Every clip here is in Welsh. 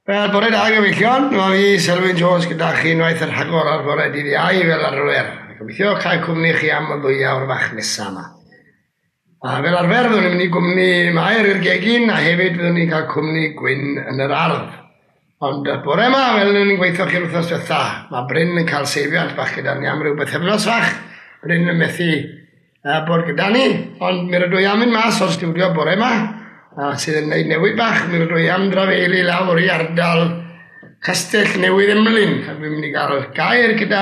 Wel, bore da gyfeillion, mae fi Selwyn Jones gyda chi unwaith yn rhagor ar fore dydd Iau fel arfer. Gobeithio cael cwmni chi am y ddwy awr fach nesaf yma. A fel arfer, fyddwn ni'n mynd i gwmni Mair i'r gegin a hefyd fyddwn ni'n cael cwmni Gwyn yn yr ardd. Ond y bore yma, fel o'n i'n gweithio chi'r wythnos diwetha, mae Bryn yn cael seibiant bach gyda ni am ryw bythefnos fach. Bryn yn methu bod gyda ni, ond mi rydw i am mynd mas o'r stiwdio bore yma, a sydd yn gwneud newid bach, mi rydw i am drafeili lawr i ardal Castell Newydd Emlyn, a dwi'n mynd i gael gair gyda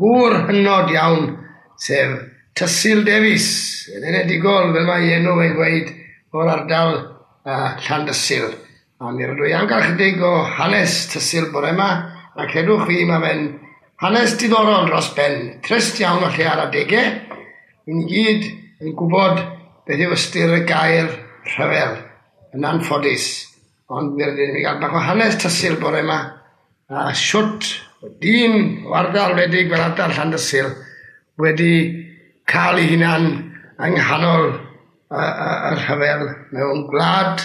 gŵr hynod iawn, sef Tysil Davies, yn enedigol, fel mae enw fe'n gweud, o'r ardal Llandysul. A mi rydw i am gael chydig o hanes Tysil bore yma, a credwch fi, mae fe'n hanes diddorol dros ben, trist iawn falle ar adegau. I ni gyd yn gwybod beth yw ystyr y gair rhyfel, yn anffodus. Ond mi rydyn ni'n cael bach o hanes Tysil bore yma, a siwt dyn o ardal wledig fel ardal Llandysul wedi cael ei hunan yng nghanol y rhyfel mewn gwlad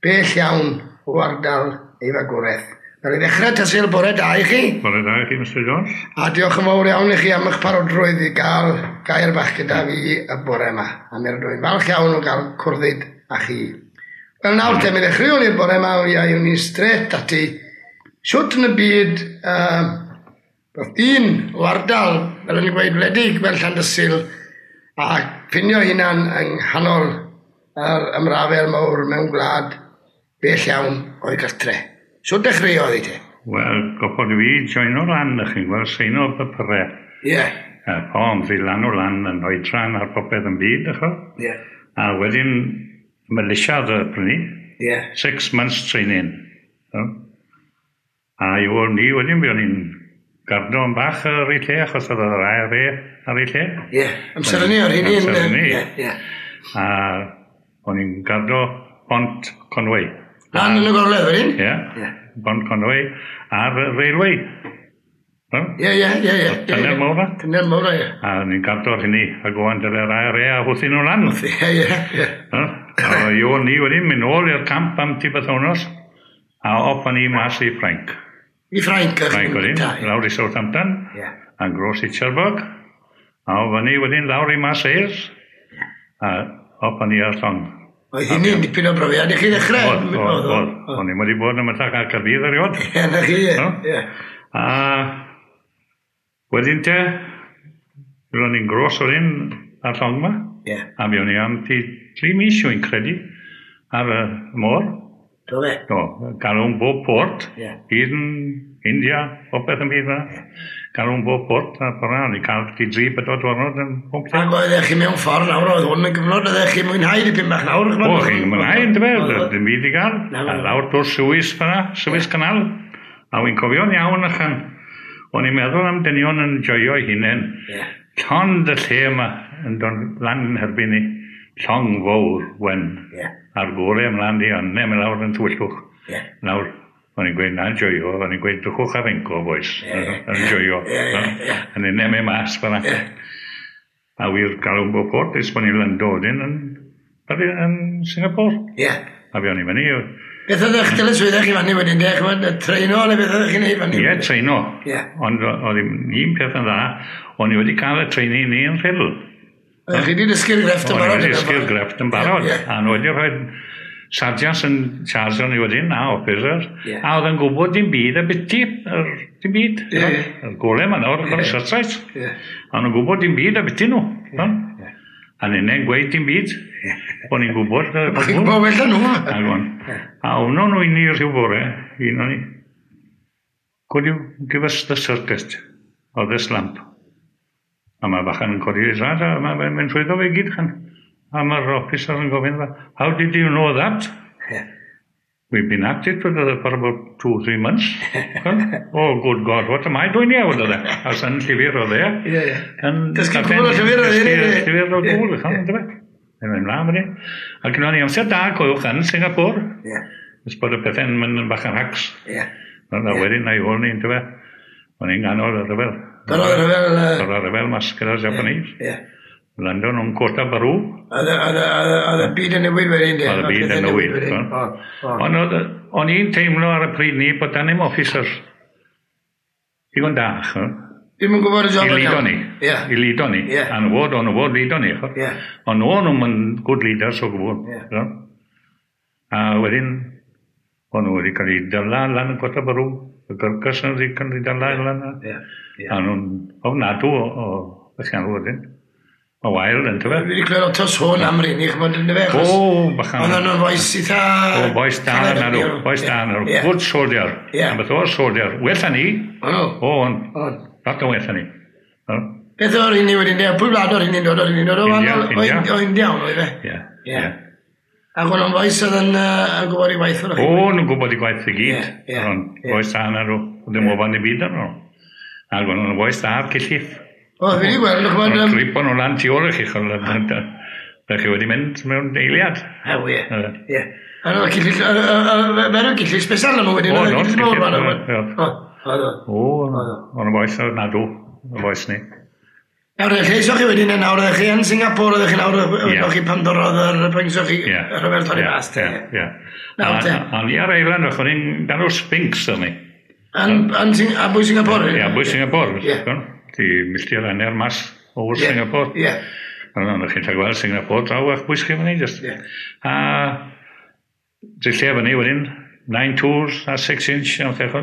bell iawn o ardal ei fagwraeth. Wel, i ddechrau, Tysil, bore da i chi. Bore da i chi, Mr Jones. A diolch yn fawr iawn i chi am eich parodrwydd i gael gair bach gyda fi y bore yma. A mi rydw i'n falch iawn o gael cwrddyd â chi. Wel nawr te, mi ddechreuwn ni'r bore yma, mi awn ni straight ati. Shwt yn y byd, roedd dyn o ardal, fel o'n i'n gweud, wledig fel Llandysul, a ffinio hunan yng nghanol yr ymrafel mawr mewn gwlad bell iawn o'i gartre. Shwt dechreuodd i te? Wel, goffod fi joino lan, ych chi'n gweld, seino papurau. Ie. Yeah. Pom, fi lan o lan yn oedran ar popeth yn byd, ych Ie. Yeah. A wedyn, militia y prynu. Ie. Yeah. 6 months training. So. A i ôl ni wedyn, fi o'n i'n gardo yn bach ar ei lle, achos oedd yr IRA ar ei lle. Ie, yeah. Amser hynny o'r hynny. Amser hynny. Ie, ie. A o'n i'n gardo Bont Conway. Lan yn y gogledd wedyn? Ie. Ie. Bont Conway a'r railway. Ie, ie, ie, ie. Tunnel mawr na. Tunnel mawr, ie. A o'n i'n gardo'r hynny, a gwan dyle'r IRA a hwthyn nhw lan. Ie, ie, ie. A i o'n ni wedyn mynd nôl i'r camp am ti bythewnos, a op o'n i mas i Ffrainc. I Ffrainc? Ffrainc wedyn, lawr i Southampton, a gros i Cherbourg, a o fyny wedyn lawr i Marseilles, a op o'n i ar llong. Oedd hynny'n dipyn o brofiad i chi ddechrau? Oedd, oedd, oedd. O'n i'n wedi bod yn ymwneud â Caerdydd erioed. Ie, na chi, ie. A wedyn te, ro'n i'n gros o'r un ar llong yma. Ie. A mi o'n i am 3 mis, wy'n credu, ar y môr. Do fe? Do, galw'n bob port. Ie. Hyd yn India, popeth yn byd yna. Galw'n bob port, a ffordd o'n i cael 3-4 diwrnod yn pob lle. Ac oeddech chi mewn ffordd nawr, oedd hwn yn gyfnod, oeddech chi'n mwynhau dipyn bach nawr? O, chi'n mwynhau, yndyfe, dim byd i gael. A lawr drwy'r Suez fyna, Suez Canal. A wy'n cofio'n iawn achan. O'n i'n meddwl am dynion yn joio eu hunain. Llond y lle yma yn dod lan yn herbyn ni. Llong fawr wen. A'r gore ymlaen di, ond ne, mae lawr yn tywyllwch. Lawr, o'n i'n gweud, na, joio, o'n i'n gweud, drychwch ar enco, boys. Yn joio. Yn un neu mas fyna. A wir galw'n bob port, ys bod ni'n lando wedyn yn Singapore. Ie. A fi o'n i'n fyny. Beth oedd eich dyletswyddau chi fanny wedyn, de? Ch'mod, treino neu beth oeddech chi'n neud fanny? Ie, treino. Ie. Ond oedd un peth yn dda, o'n i wedi cael y training ni yn Rhyl. Oeddech chi wedi dysgu'r grefft yn barod? O'n i wedi dysgu'r grefft yn barod. A nhw wedi rhoi sargeants yn charge o'n i wedyn, a officers, a oedd yn gwybod dim byd a biti, dim byd. Y gore yma nawr, o'r searchlights. A nhw'n gwybod dim byd a biti nhw. A ninnau'n gweud dim byd. O'n i'n gwybod. Chi'n gwybod well na nhw. A wno nhw i ni rhyw bore, un o'n i, could you give us the circuit of this lamp? A mae bachan yn codi ei rad, a mae'n mynd trwyddo fe gyd chan. A mae'r officer yn gofyn, how did you know that? Yeah. We've been at it for about 2-3 months. Oh, good God, what am I doing here? Oedd e. A sy'n llyfr oedd e. Ie, ie. Dysgu cwbl o llyfr oedd e. Dysgu llyfr o gwbl, chan, yndyfe? Yn mynd mlaen wedyn. A gyda ni amser da, coelwch, yn Singapore. Ie. Ys bod y pethau'n mynd yn bach yn hacs. Ie. A wedyn, na i ôl ni, yndyfe? O'n i'n ganol y rhyfel. Ganol y rhyfel. Ganol y rhyfel mas gyda'r Japanese. Ie. Lando nhw'n Kota Bharu. Oedd y byd yn newid wedyn, de? Oedd y byd yn newid. Ond o'n i'n teimlo ar y pryd ni bod dan ddim officers digon da, ch'mo'. Ddim yn gwybod y job I leado ni. I leado ni. A nhw fod, o'n nhw fod leado ni, ch'mo'. Ond o'n nhw'n yn good leaders o gwbl. A wedyn, o'n nhw wedi cael eu dala lan yn Kota Bharu. Y Gurkhas yn wedi cael eu dala lan. A nhw'n ofnadw o beth wedyn. O wael, yn tyfe? Fi wedi clywed lot o sôn am rheini, ch'mod, yn dyfe? O, bachan. Oedden nhw'n fois eitha... O, bois da na nhw, bois da na nhw. Good soldier. A beth o'r soldier. Well na ni. O, no. O, ond, lot o well na ni. Beth o'r rheini wedyn, pwy wlad o'r rheini'n dod o'r rheini'n dod? India, India. O India, o'n oedd e? Ie. Ie. Ac o'n nhw'n fois oedd yn gwybod i waith o'r O, nhw'n gwybod i gwaith i gyd. Ond bois da na nhw. Ddim ofan i byd arno. Ac o'n nhw'n bois da ar cylliff. O, fi wedi gweld, ch'mod... O'n gripo nhw lan tu ôl i chi, ch'mod, da chi wedi mynd mewn eiliad. Ha, wir. Ie. A nhw'n cyllill, fe nhw'n cyllill special nhw wedyn. O, nhw'n cyllill cyllill. O, O, o'n boes nadw, y boes ni. Nawr, lle isoch chi wedyn yn nawr, ydych chi yn Singapore, ydych chi nawr, ydych chi pan dorodd yr pwynt chi rhyfel torri mas. Ie, ie. Nawr te. A ni ar Island, o'n i'n galw Sphinx o'n ni. A bwy Singapore? Ie, bwy Singapore. Di milltir hanner mas o Singapore. Ie. Ond chi'n cael gweld Singapore draw a'ch bwys chi fyny, just. A drillia fyny wedyn, 9 tours a 6 inch, a beth.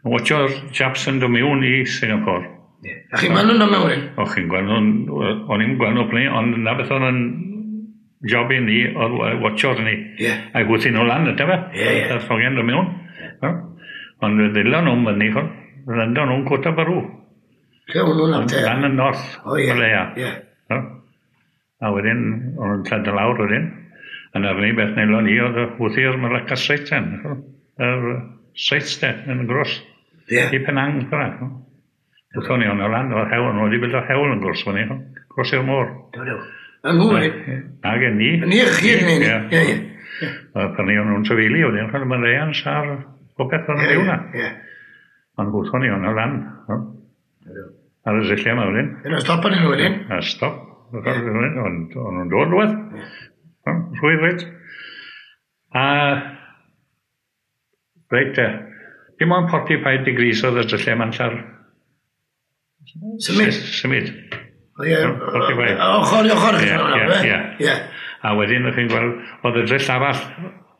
Yn watcho'r Japs yn dod mewn i Singapore. A chi'n gweld nhw'n dod mewn wedyn? O, chi'n gweld nhw'n... O'n i'n gweld nhw p'nau, ond na beth o'n job i ni, oedd watcho'r ni. A gwthio nhw lan, ydy fe? Ie, ie. A'r llongau'n dod mewn. Ond ddilon nhw'n fyny, ch'od. Lando nhw'n Kota Bharu. Lle o'n nhw'n nawr te? Lan yn north, O, ie. Malaya. Ie. A wedyn, o'n nhw'n llad lawr wedyn. A na'r unig beth nelon ni oedd wthio'r Malacca Straits ten. Yr Straits ten, yn y gros. Ie. I Penang, fyna. Wthon ni o'n lan, o'r hewl, o'n wedi bildo hewl yn gros fyny, gros i'r môr. Do, do. A nhw wedyn? Ag yn ni. Ni, chi yn ni. Ie. Ie, ie. A pan ni o'n nhw'n trafeili wedyn, ch'od, Malayans a'r popeth o'n byw na. Ie. Ond wthon ni o'n lan. Ar y ddulliau yma wedyn. Yna stop yn nhw wedyn? A stop. Ond o'n nhw'n dod rhywbeth. Rhwydd reit. A reit te. Dim ond 45 degrees oedd y dulliau yma'n llar. Symud? Symud. Ie. 45. Ochr i ochr. Ie, ie. A wedyn o'ch chi'n gweld, oedd y dryll arall,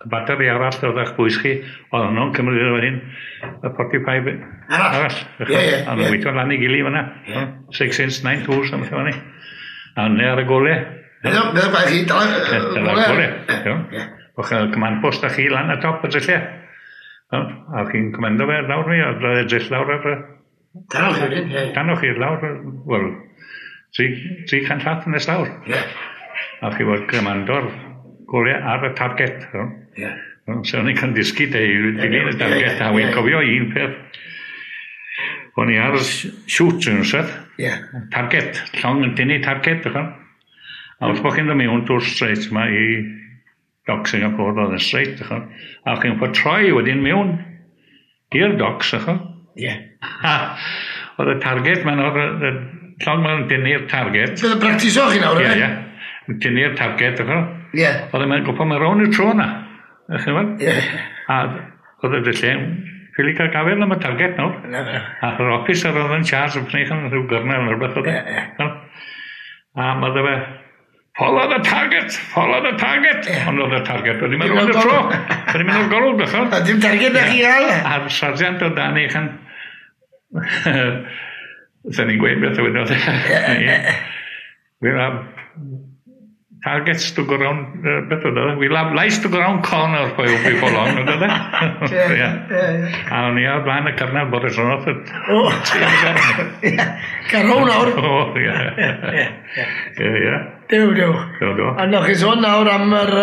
y bateri arall oedd eich bwys chi, oedd nhw'n cymryd wedyn y 45 arall. Ie, ie. A nhw'n gweithio lan i gili fyna. 6 inch, 9 tours, am fyny. A yna ar y gole. Beth oedd chi? Dala gole. Ie. O'ch command post â chi lan y top y drylliau. A chi'n comando fe lawr mi, a y dryll lawr ar y... Danoch chi wedyn, ie. Danoch chi lawr, wel, 300 llath nes lawr. Ie. A chi fod comando'r gole ar y target. Ie. So o'n i'n cael dysgu de i dilyn y target, a wy'n cofio un peth. O'n i ar shoot yn rhywbeth. Ie. Target, llong yn tynnu target, ych. A wrth bod chi'n dod mewn drwy'r straight yma i dock Singapore, oedd yn straight, ych. A chi'n fod troi wedyn mewn i'r docks, ych. Ie. Oedd y target, ma'n oedd y llong ma'n dynnu'r target. Bydd yn practiso chi nawr, Ie, ie. Yn tynnu'r target, ych. Ie. Oedd e'n gwybod mae'n rownd y tro na. Ych chi'n gweld? Ie. A oedd y dyllau, ffili cael gafel am y target nawr. Na, na. A yr officer oedd yn charge yn pneud yn rhyw gyrnel neu rhywbeth oedd e. Ie, ie. A mae fe, follow the target, follow the target. Ond oedd y target wedi mynd rownd y tro. Wedi mynd o'r golwg, ddech A dim target na chi gael. A'r sargeant o dan i chan... Sa'n ni'n gweud beth oedd e. We'll have targets to go round, beth oedd e? We'll have lights to go round corner for you before long, oedd e? Ie, ie. A o'n i ar blaen y cyrnal bod y tronodd. O! Carw nawr. O, ie. Ie, Ie, ie. Dew, dew. Do, do. A noch chi sôn nawr am yr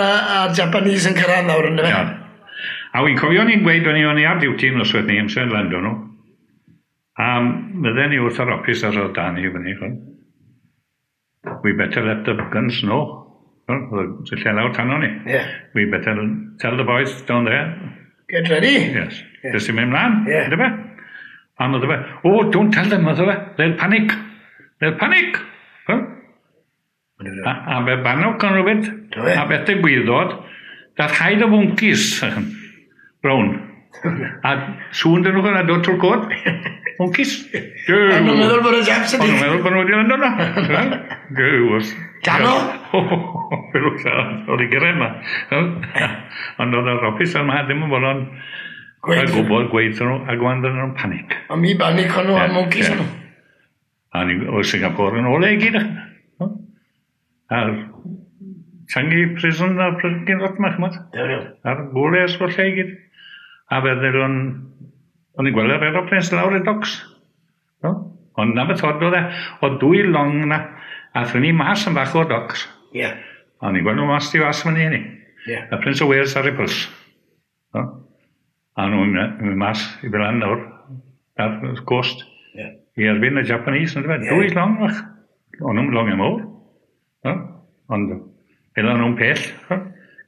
Japanese yn cyrraedd nawr, ynddo fe? Iawn. A wy'n cofio ni'n gweud, o'n i ar duty noswaith ni, amser lando nhw. A mydden ni wrth yr officer oedd dan i fyny, ch'od. We better let the guns know. Oedd y lle lawr tano ni. Ie. We better tell the boys down there. Get ready. Yes. Yeah. Jyst i mynd mlaen, Ie. ynddo fe? A medde fe, oh, don't tell them, medde fe. They'll panic. They'll panic. Huh? A fe bannog yn rhywbeth, a beth ddigwyddodd, dath haid o fwncis brown. A sŵn dyn nhw yn dod trwy'r cod. Mwncis. O'n nhw'n meddwl bod y Japs ydi. O'n nhw'n meddwl bod nhw wedi lando yna. Gyw. Dano? Oedd i gyrraedd yma. Ond oedd yr officer yma ddim yn bod o'n gwybod gweud nhw, ac o'n nhw'n panic. A mi banic o'n nhw a mwncis o'n nhw. A ni o Singapore yn ôl e i gyd. A'r Changi prison a'r prison lot yma, chymod? A'r gwles o'r lle i gyd. A fe ddylwn, o'n i'n gweld yr aeroplanes lawr y docks. No? Ond na beth oedd e, oedd dwy long na, a thyn ni mas yn bach o'r docks. Ie. Yeah. O'n i'n gweld nhw mas di fas fyny ni. Yeah. Y Prince of Wales a'r Repulse. No? A nhw'n mynd mas i fel nawr, ar y coast. Yeah. I erbyn y Japanese, yn dweud. Dwy long fach. O'n nhw'n long mawr. No? Ond ela nhw'n pell.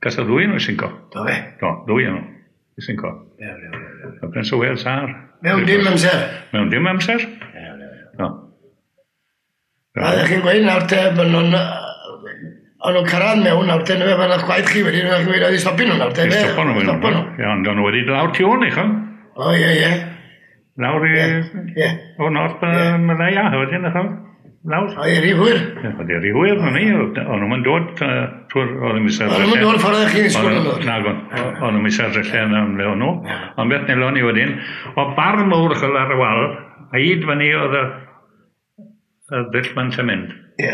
Gas y ddwy nhw sinco. Do fe? Do, ddwy nhw i sinco. Ie, ie, ie. Y Prince of Wales ar. Mewn dim amser? Mewn dim amser. Ie, ie, ie. No. A ddech chi'n gweud nawr te, bod nhw'n... O'n nhw'n cyrraedd mewn nawr te, fel o'ch gwaith chi wedi, nhw'n gweud oedd i stopio nhw nawr te. I stopo nhw. Stopo nhw. Ie, ond o'n nhw wedi lawr tu ôl ni, chon. O, ie, ie. Lawr i... Ie. O North Malaya, wedyn, chon. Lawr. O, ie, rhy hwyr. Oedd i rhy hwyr, o'n i. O'n nhw'n dod trwy'r... Oedd yn misar... O'n nhw'n dod ffordd o'ch chi'n ysgol yn dod? Nag o'n. O'n nhw'n misar lle yn ymle o'n nhw. Ond beth nelon ni wedyn, o bar mawr chol ar y wal, a hyd fyny oedd y ddull ma'n sy'n mynd. Ie.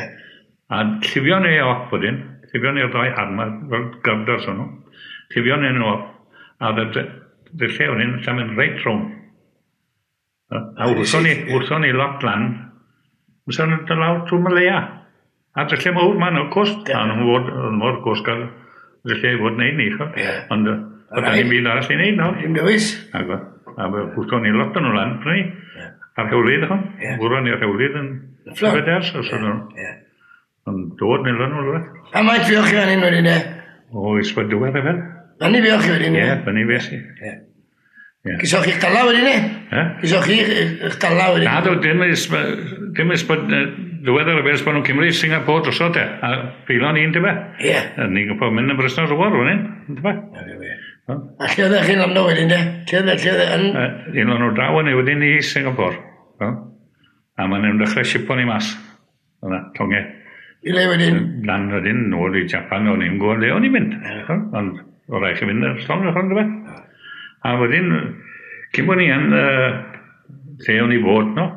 A llifio ni off wedyn, llifio ni'r ddau harma, fel girders o'n nhw, llifio ni nhw off, a oedd y dulliau wedyn, sy'n mynd reit rhwng. A wrthon ni lot lan, wrthon ni lawr trwy Malaya. A dulliau mawr ma'n o'r cost, a nhw'n fod, mor cost gael dulliau i fod wneud ni, ond oedd ni'n byd arall i wneud nawr. Dim dewis. A wrthon ni lot o'n nhw lan, prynu, ar hewlydd, wrthon ni'r hewlydd yn Feders, os o'n nhw. Ond dod neu lan o'r rhywbeth. A mae'n fioch chi fan hyn wedyn, e? O, ysbryd diwedd e fel. Fan i fioch chi wedyn, e? Ie, fan i fes i. Ie. Gysoch chi'ch dala wedyn, e? Gysoch chi'ch dala wedyn? Na, do, dim ysbryd diwedd ar y beth bod nhw'n Cymru, Singapore drosodd e. A peilon un, dyfa? Ie. Ni'n gwybod mynd yn Brysna rhywbeth, rhywun, dyfa? Ie. A lle oeddech chi'n lando wedyn, de? Lle oeddech, yn... Un o'n nhw draw yn wedyn i Singapore. A maen nhw'n dechrau sipo ni mas. Yna, tongau. I le wedyn? Lan wedyn, nôl i Japan, o'n i'n gwybod le o'n i'n mynd. Ond o rai chi fynd ar llong, o'n i'n A wedyn, cyn bod ni yn lle o'n i fod, no,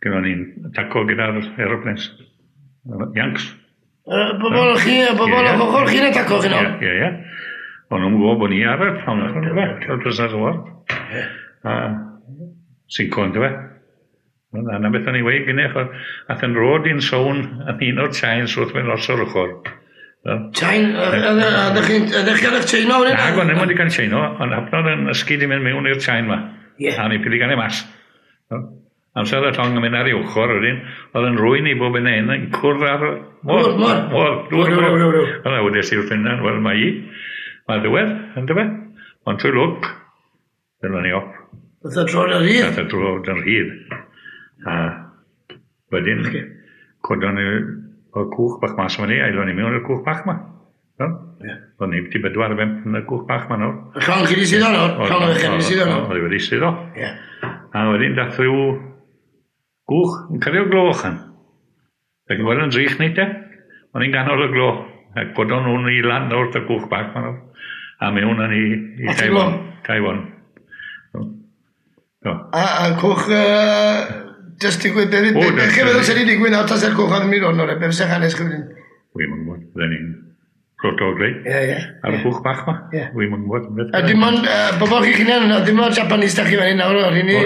gyda ni'n taco gyda'r aeroplanes. Yanks. Bobol chi, bobol o'ch ochr chi'n ataco chi no? Ie, ie. O'n nhw'n gwybod bod ni ar y llong, o'n i'n Prisoners of War. A sinco, yn dweud. A na beth o'n i weid gynnech, ath yn rod i'n sôn yn un o'r chains wrth mynd os o'r ochr. Chain? Ydych chi'n eich chaino? Na, o'n i'n wedi cael chaino, ond hapnod yn ysgyd i mynd mewn i'r chain ma. A ni pili gan ei mas. Amser y llong yn mynd ar ei ochr wedyn, oedd yn rwy'n i bob yn hyn yn cwrdd ar... Môr, môr. Môr, dŵr, môr. Wel, wedes i wrth hynna, wel, mae i. Mae ddiwedd, yn dyfe. Ond trwy lwc, dyna ni op. Nath o dro'n rhydd? Nath o dro'n rhydd. A wedyn, codon ni o'r cwch bach mas o'n ni, aelon ni mewn i'r cwch bach ma. Ie. O'n ni wedi bedwar bump yn y cwch bach ma nawr. Y llong chi wedi suddo nawr? Llong o'ch chi wedi suddo nawr? Oedd wedi suddo. Ie. A wedyn dath rhyw gwch yn cario gloch yn. Ac yn gweld yn drych ni te. O'n i'n ganol y glo. A codon nhw'n i lan o'r y cwch bach ma nawr. A mewn yn i Taiwan. Taiwan. A cwch... Just digwydd, beth chi'n meddwl sy'n digwydd nawr tas yr cwch oedd yn mynd o'n o'r beth sy'n hanes chi wedyn? Wi'm yn gwybod, bydden ni'n proto greu. Ie, ie. Ar y cwch bach ma. Ie. Wi'm yn gwybod. A dim ond bobl chi'ch hunain yno, dim ond Japanese da chi fan hyn nawr o'r hynny?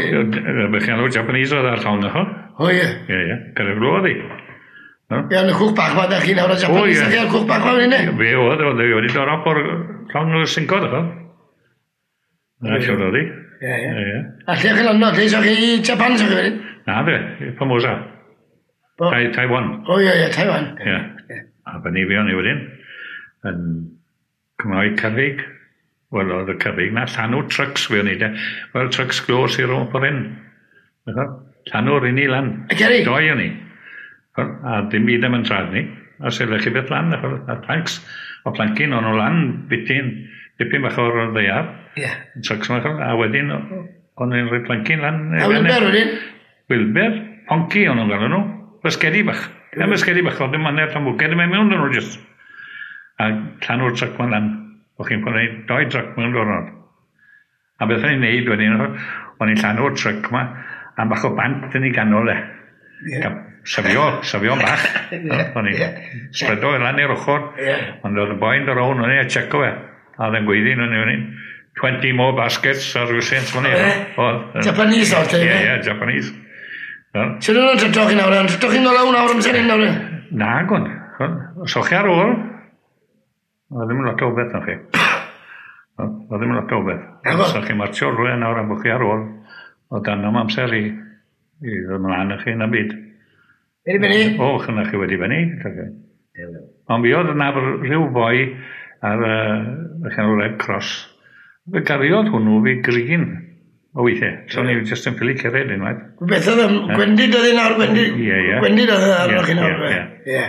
Be chi'n alw Japanese oedd ar llong yno? O ie. Ie, ie. Gyda'r glo oedd hi. Ie, yn y cwch bach ma da chi nawr o Japanese da chi ar cwch bach ma fan hyn? Fe oedd, oedd wedi dod off o'r llong o'r sincodd yno. Na, siwr oedd hi. Ie, ie. A lle chi'n lando? Lle eisiau chi Japan eisiau chi wedyn? Na fe, Formosa. Taiwan. O ie, ie, Taiwan. Ie. A fyny fi o'n i wedyn, yn cymryd cerrig. Wel, oedd y cerrig na, llanw trucks fi o'n i de. Wel, trucks glo sy'n rhwng ffordd hyn. Llanw'r un i lan. Y cerrig? Doi o'n i. A dim byd am yn trad ni. A sefyllech chi beth lan, a planks, o plancyn, o'n nhw lan, bityn, dipyn bach o'r ddaear. Ie. Trucks yma, a wedyn, o'n nhw'n rhoi plancyn lan. A Wilber wedyn? Wilber, ponci o'n nhw'n galw nhw. Basgedi bach. Ie, basgedi bach, oedd ddim hanner tan bwced yn mynd mewn nhw jyst. A llanw'r truck ma'n lan. O'ch chi'n gwneud doi truck mewn diwrnod. A beth o'n i'n neud wedyn, o'n i'n llanw'r truck ma, a bach o bant yn ei ganol e. Ie. Safio, safio'n bach. O'n i'n spredo fe lan i'r ochr. Ond oedd y boi'n dod rown, o'n i'n checo fe. A oedd e'n gweiddi, o'n i'n 20 more baskets ar ryw sent fan hyn. Japanese o'r te? Ie, ie, Japanese. Sut o'n tryto chi nawr? Tryto chi'n ôl nawr amser hyn nawr? Na, gwn. So chi ar ôl, oedd ddim yn lot o beth na chi. Oedd ddim yn lot o beth. So chi'n martio rhywle nawr am bod chi ar ôl, oedd dan am amser i ddod ymlaen â chi na byd. Wedi benni? O, chyna chi wedi benni. Ond mi oedd yna rhyw boi ar y llanw Red Cross. Fe gariodd hwnnw fi green o weithiau. So ni jyst yn ffili cered unwaith. Beth oedd yn gwendid oedd nawr, gwendid? Ie, ie. Gwendid oedd arnoch chi nawr. Ie, ie.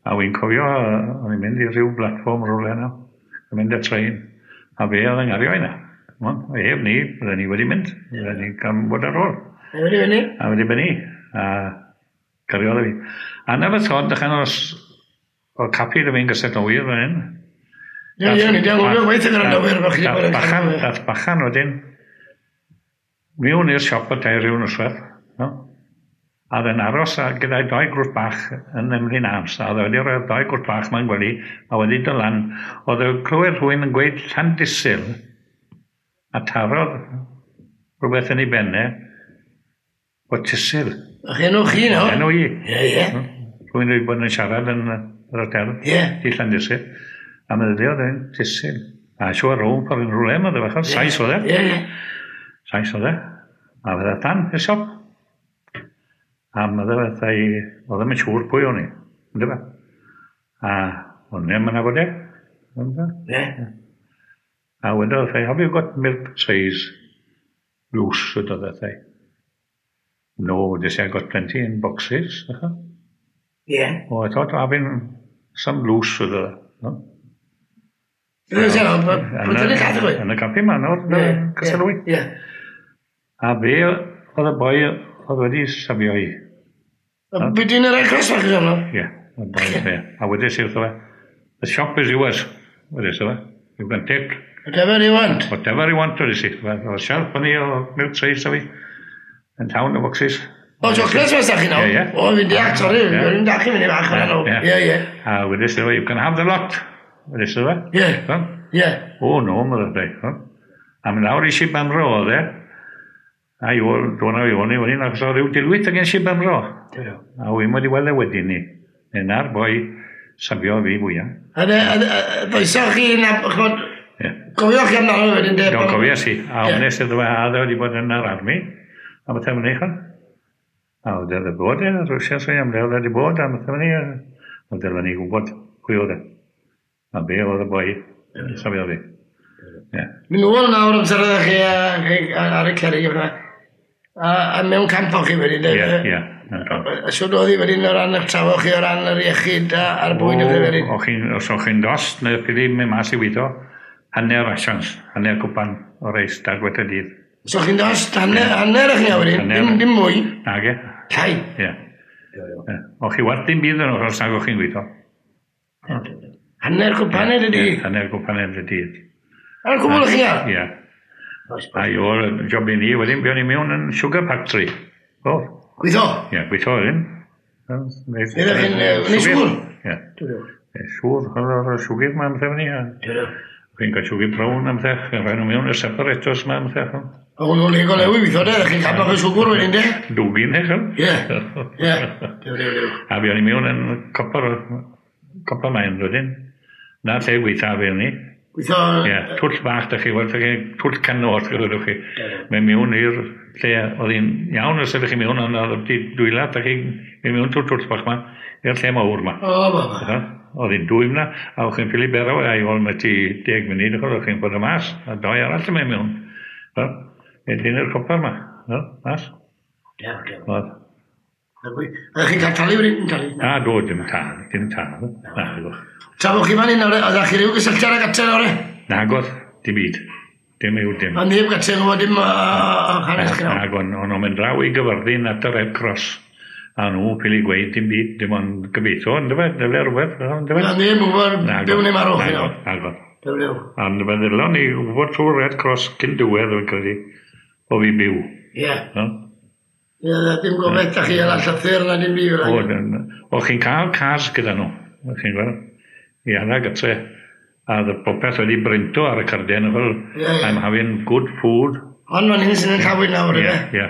A wy'n cofio, o'n i'n mynd i ryw platfform rhywle yna. Yn mynd y train. A fe oedd yn gario yna. Ef ni, bydden ni wedi mynd. Bydden ni gan bod ar ôl. A wedi benni? A wedi benni. A gariodd fi. A na fy thod, dechan os o capi dy fi'n gysylltu nwyr fan hyn. Ie, ie, ni di anghofio gweithio gyda'r nwyr. Dath bachan wedyn. Miwn i'r siop o tair rhyw noswaith. No? A oedd yn aros gyda'i doi grwt bach yn Emlyn Arms. A oedd wedi rhoi'r doi grwt bach mae'n gwely, a wedi dod lan. Oedd e'n clywed rhywun yn gweud Llandysul, a tarodd rhywbeth yn ei benne, o Tysul. A'ch enw chi nawr? Enw i. Ie, ie. Rhywun wedi bod yn siarad yn yr hotel. Ie. I Llandysul. A meddyliodd e'n Tysul. A siŵr rhwng ffordd yn rhywle, mae fe, Sais oedd e. Ie, ie. Sais oedd e. A fydda dan i'r siop. A meddwl fatha i, oedd ddim yn siŵr pwy o'n i, ynddo fe? A o'n i'n mynd bod e. Ie. A wedodd fatha i, have you got milk trays loose, wedodd fatha i. No, they say I got plenty in boxes. Ie. Oh, I thought having some loose, wedodd. No? Yn y caffi ma nawr, Cysyllwy. Ie. A fe oedd y boi oedd wedi safio i. Be di'n yr Red Cross fach i yno? Ie, y boi, ie. A wedi si wrtho fe, the shop is yours, wedi si fe. You can take... Whatever you want. Whatever you want, wedi si. Oedd shelf fyny o milk trays a fi. Yn llawn o boxes. O, chocolates mas da chi nawr? Ie, ie. O, fi'n deall, sori, fi'n deall i fyny fach o'n nhw. Ie, ie. A wedi si fe, you can have the lot. Wedi si fe. Ie. Ie. O, no, meddwl fe. A mynd lawr i Sir Benfro oedd e. A i ôl, dwi'n i ôl ni wedyn, achos oedd rhyw dilwyth ag yn Sir Benfro. A wy'n wedi weld e wedyn ni. Na'r boi safio fi fwyaf. A ddoesoch chi na, ch'mod, gofioch chi amdano wedyn de? Do, gofias i. A wnes iddo fe, a wedi bod yn yr army. A beth am hynny, ch'od. A oedd e bod e, Rwsia sy'n am le oedd wedi bod, a beth am hynny, oedd e ni gwybod pwy oedd e. A be oedd y boi, safio fi. Ie. Mynd nôl nawr amser oeddech chi ar y cerrig a mewn camp o'ch chi wedyn. Ie, ie. A siwr oedd hi wedyn o ran eich trafod chi o ran yr iechyd a'r bwyd o'ch chi wedyn? Os o'ch chi'n dost, neu chi mynd mas i weithio, hanner asians, hanner cwpan o reis, dar gwet y dydd. Os o'ch chi'n dost, hanner o'ch chi wedyn, dim mwy? Nage. Llai? Ie. O'ch chi werth dim byd yn os nag o'ch chi'n gweithio. Hanner cwpaned y dydd? Hanner cwpaned y dydd. A'r cwbl o'ch chi ar? Ie. A i o'r job i ni, wedyn buon ni mewn yn sugar factory. O. Gweithio? Ie, gweithio wedyn. Ydych chi'n neud siŵr? Ie. Siŵr, o'r siwgr ma am fyny. Chi'n cael siwgr brown am thech, chi'n rhoi nhw mewn y separators ma am thech. O, hwnnw'n le golewi weithio de, chi'n cael bach o siwgr wedyn de? Dwgyn, eich. Ie, ie. A buon ni mewn yn copper mine wedyn. Na lle gweithio fi ni. Gweithio... Ie, twll bach, da chi, weld, twll canol, gwelwch chi. Mae mewn i'r lle, oedd hi'n iawn os ydych chi mewn, ond oedd wedi dwyla, da chi, mae mewn trwy'r twll bach ma, i'r lle mawr ma. O, baba. Oedd hi'n dwym na, a o'ch chi'n ffili bero, a i ôl mae ti 10 munud, o'ch chi'n bod y mas, a doi arall yn mynd mewn. Wedyn i'r copper ma, mas. Dew, dew. Oeddech chi'n cael talu wedyn? Talu? Na, do, dim tal, dim tal. Na, do. Tra bod chi fan hyn nawr, oeddech chi ryw gysylltiad ag ate nawr? Nagodd, dim byd. Dim yw dim. Ond neb gatre yn gwybod dim o hanes chi nawr? Nag, o'n nhw'n mynd draw i Gyfyrddin at y Red Cross. A nhw ffili gweud dim byd, dim ond gobeithio, ond dyfe, dyle rhywbeth, ond dyfe. Na, neb yn gwybod byw neu marw chi nawr. Nagodd. Dew, dew. Ond fe ddylon ni wybod trwy'r Red Cross cyn diwedd, fi'n credu, o fi byw. Ie. No? Ie, dim gobeith da chi ala llythyr na dim byd fel O, chi'n cael cas gyda nhw, chi'n gweld, i ala gytre. A oedd popeth wedi brinto ar y carden, fel, I'm having good food. Ond fan hyn sy'n yn llawyd nawr, ie? Ie.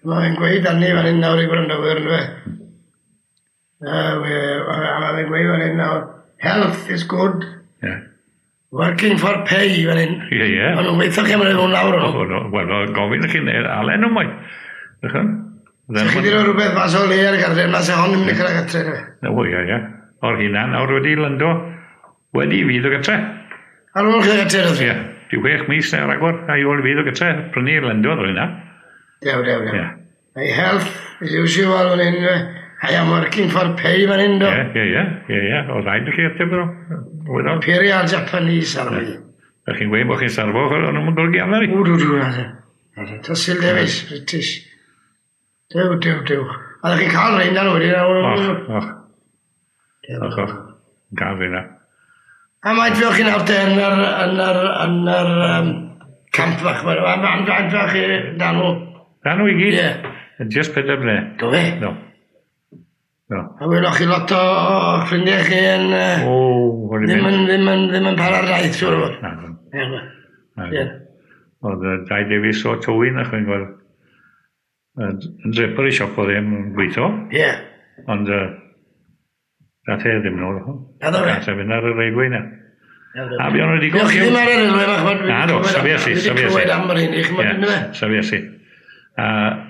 Mae'n gweud arni fan hyn nawr i gwrandawyr, ynddo fe? A mae'n gweud fan hyn nawr, health is good. Yeah. Working for pay fan hyn. Ie, ie. Ond nhw'n weithio chi am yr lawr o'n. Wel, gofyn chi, alen nhw mwy. Chi wedi rhoi rhywbeth mas o le ar y garden, mas e hon yn mynd i cyrraedd gatre. O, ie, ie. O'r hynna nawr wedi lyndo, wedi i fi ddod gatre. Ar ôl chi gatre, oedd? Ie. Di 6 mis neu ragor, a i ôl i fi ddod gatre, prynu lyndo oedd hynna. Dew, dew, dew. My health is usual fan hyn, I am working for pay fan hyn, do. Ie, ie, ie, ie. Oedd rhaid i chi ateb nhw. Imperial Japanese Army. Da chi'n gweud bod chi'n sarfo, o'n nhw'n golygu amser i. O, dw, dw, Tysil Davies, British. Dew, dew, dew. A ddech chi'n cael rhain na wedyn? Och, och. Och, och. Gael rhain na. A mae'n fi o'ch chi'n awr te yn yr camp fach. Mae'n fach chi dan nhw. Dan nhw i gyd? Ie. Just 4 mlynedd. Do fe? No. No. A weloch chi lot o ffrindiau chi yn... O, ddim yn para'r daith, siŵr o fod. Na. Na. Oedd Dai Davies o Tywyn, a'ch chi'n gweld. Yn drapery shop oedd e'n gweithio. Ie. Ond nath e ddim nôl. Na ddo fe? Nath e fynd ar y railway na. A fi o'n wedi Chi ddim ar y railway bach. Na do, safies i. Fi wedi clywed am yr hyn, chi'n mynd fe? Safies i.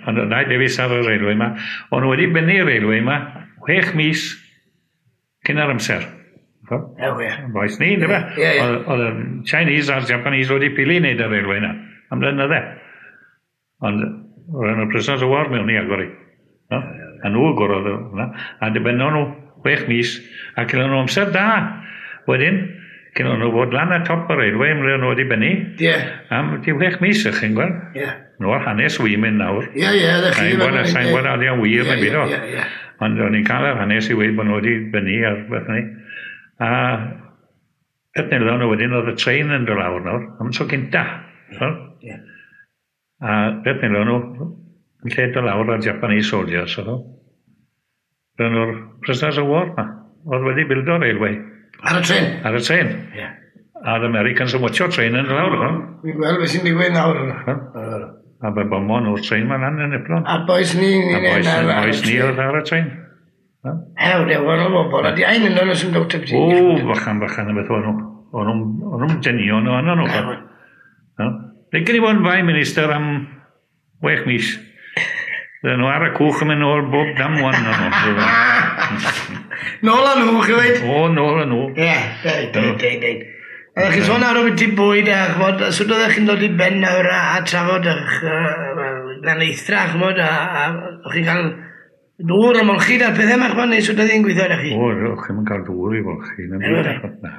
Ond Dai Davies ar y railway ma. O'n nhw wedi bennu'r railway ma 6 mis cyn yr amser. Ie. Boes ni, ynddo fe? Oedd y Chinese a'r Japanese wedi pili wneud y railway na. Am blynydde. Ond roedd nhw'n prisoners of war mewn i agor i. A nhw agorodd hwnna. A dibennon nhw 6 mis a cyn nhw amser da. Wedyn, cyn nhw fod lan ar top y railway, ymwneud nhw wedi bennu. Ie. Am di 6 mis, ych chi'n gweld? Ie. Nhw'r hanes wy'n mynd nawr. Ie, ie, ddech chi. Sa'n gwybod a di'n wir neu byd o. Ie, ie. Ond o'n i'n cael yr hanes i weud bod nhw wedi bennu ar beth ni. A beth nilon nhw wedyn oedd y train yn dod lawr nawr, am tro cynta. Ie. A beth nilon nhw, yn lle dod lawr ar Japanese soldiers, oedd o. Roedd nhw'r prisoners of war ma, oedd wedi bildo'r railway. Ar y tren? Ar y tren. Ie. A'r Americans yn watcho train yn lawr. Fi'n gweld beth sy'n digwydd nawr. A fe bomo nhw'r train ma'n lan yn Eplon. A boes ni... A boes ni oedd ar y train. Hew, dew, o'n nhw'n bobl. A di ein yn nhw'n sy'n dod O, fychan, fychan y beth o'n nhw. O'n nhw'n dynion o'n nhw. Licen i fod yn Prime Minister am 6 mis. Bydden nhw ar y cwch yn mynd nôl bob dam wan o'n nhw. Nôl â nhw, chi weid? O, nôl â nhw. Ie, deud, deud, deud. Oeddech chi'n sôn ar o beth i bwyd a ch'mod, sut oeddech chi'n dod i ben nawr a trafod eich glanweithdra, ch'mod, a o'ch chi'n cael dŵr a molchi a'r pethau yma, ch'mod, neu sut oedd hi'n gweithio arnoch chi? O, o'ch chi'n cael dŵr i folchi. Na.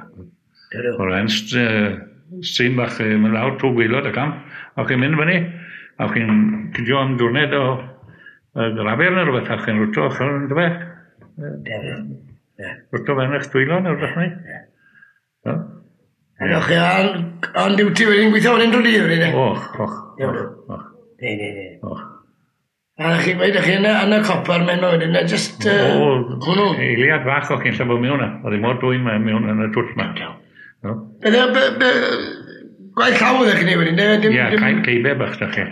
O'r en stream bach yn mynd lawr trwy gwaelod y camp, a o'ch chi'n mynd fyny, a o'ch chi'n cydio am diwrnod o grafer neu rhywbeth, a o'ch chi'n rwto, o'ch chi'n dweud? Rwto fe'n eich dwylo neu rhywbeth ni? Ie. O'ch chi on duty wedyn gweithio wedyn drwy dydd wedyn? Och, och. Och. Ne, ne, ne. Och. A chi'n gweud, o'ch chi yn y copper men wedyn, just... O, hwnnw. Eiliad fach o'ch chi'n lle bod mewn. Oedd hi mor dwym mewn yn y twll ma. Be, gwaith llaw oeddech chi'n ei wedyn? Ie, ceibe bach da chi.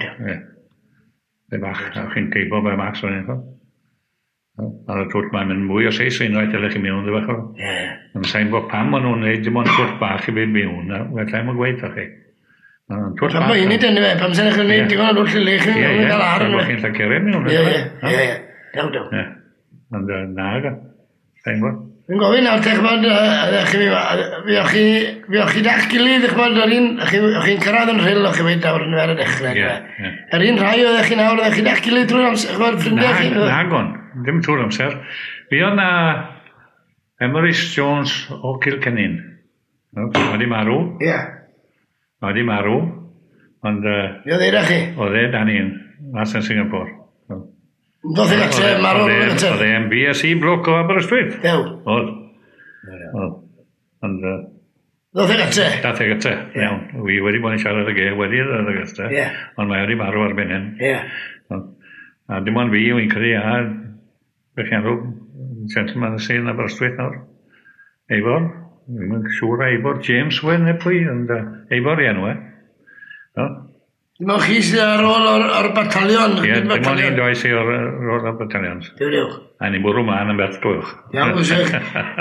Be bach, o'ch chi'n ceibo be mas o'n un. Ar y twll mae'n mynd mwy o seis unwaith ydych chi'n mewn, ddefach o. Ie. Ond sa'n bod pam o'n nhw'n neud dim ond twll bach i fynd mewn, wel i'm yn gweud o'ch chi. Pam mae hynny dyn fe, pam sy'n eich gwneud digon o dwll i le chi'n cael ar yn. Ie, ie, chi'n llacere mewn. Ie, ie, ie, daw, daw. Ie, ond na, sa'n gwybod. Fi'n gofyn nawr, te, ch'mod, fi o'ch chi da'ch gilydd, ch'mod, yr un, o'ch chi'n cyrraedd yn Rhyl, o'ch chi'n mynd nawr yn ar y dechrau. Ie, Yr un rhai oeddech chi nawr, oeddech chi da'ch gilydd drwy'r amser, ch'mod, ffrindiau chi? Nagon. Dim trwy'r amser. Fi oedd na Emrys Jones o Cilcennin. Mae di marw. Ie. Mae di marw. Ond... Fi oedd eira chi? Oedd e dan un, mas yn Singapore. Ddoth i gatre, marw yn gatre. Oedd e'n BSc bloc o Aberystwyth. Dew. Oedd. Oedd. Ond... Ddoth i gatre? Dath e gatre, iawn. Wi wedi bod yn siarad ag e wedi ddod i gatre. Ie. Ond mae wedi marw erbyn hyn. Ie. A dim ond fi, wy'n credu, a beth chi'n rhywbeth, gentleman sy'n Aberystwyth nawr. Eivor, ddim yn siŵr Eivor, James Wyn neu pwy, ond Eivor i enw e. No? Dim ond chi sydd ar ôl o'r batalion. Ie, dim ond un doi sydd ar ôl o'r batalion. Diw, diw. A ni'n bwrw mlaen yn beth glwch. Iawn, gwsech.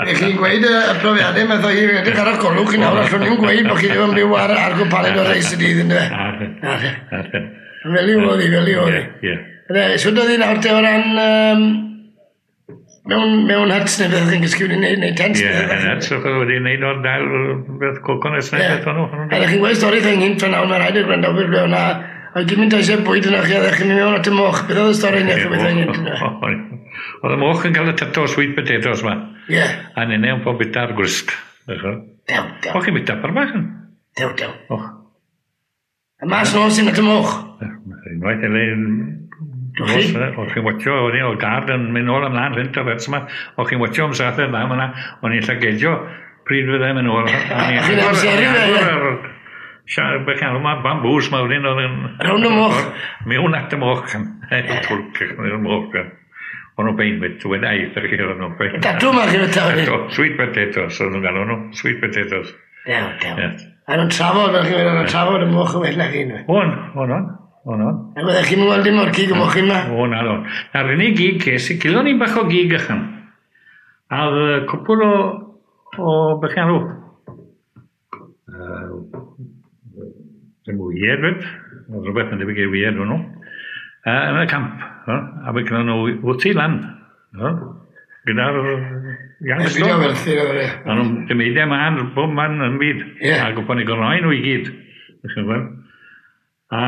Ych chi'n gweud y profiadau math o hi, edrych ar y golwg chi nawr, allwn ni'n gweud bod chi ddim yn byw ar gwpaned o reis y dydd, yndyfe? Na, na. Fel i oedd hi, fel i oedd hi. Ie. Sut oedd hi nawr te o ran mewn huts neu beth chi'n gysgu wedi wneud, neu tents? Ie, yn huts, o'ch wedi wneud o'r dail beth coconuts neu beth o'n nhw. A chi'n gweud stori thing hyn fan nawr, mae rhaid i'r gwrandawyr ble o'na, a gymaint eisiau bwyd yna chi, a ddech chi'n mynd mewn at y moch. Beth oedd y stori yna chi beth o'n hyn? Oedd y moch yn cael y tato sweet potatoes ma. Ie. A nene yn pob bita ar gwrst. Dew, dew. Och chi'n bita par bach yn? Dew, dew. Och. A mas nos sy'n at y moch? Unwaith elin... O'ch chi'n watcho, o'n i, o'r gard yn mynd nôl ymlaen rhynt o fers yma, o'ch chi'n watcho am sath yn dda yna, o'n i'n llagedio pryd fyddai'n mynd nôl. Chi'n amseru fe, ie? Be chi'n alw, bambŵs ma wedyn oedd yn... Rownd y moch. Mewn at y moch, yn twlc, yn moch. O'n nhw'n bein wyt, wedi aeth ar chi o'n nhw'n bein. Datw ma chi feta wedyn? Sweet potatoes, o'n nhw'n galw nhw, sweet potatoes. Dew, dew. A nhw'n trafod, fel chi'n meddwl, nhw'n trafod y moch yn well na chi. O'n, o'n, o'n. O'n, o'n. A byddech chi'n weld dim o'r cig y moch yma? O, na, o'n. Na'r unig gig ces i, gilon ni'n bach o gig ychan. A oedd cwpwl o beth chi'n alw? Ddim wyed, fyd. Oedd rhywbeth yn debyg i wyed nhw. Yn y camp. A fe gyda nhw wrthi lan. Gyda'r youngster. Byd o werthu, oedd e. A nhw'n dymeidau man, bob man yn byd. A gwybod ni gornoi nhw i gyd. A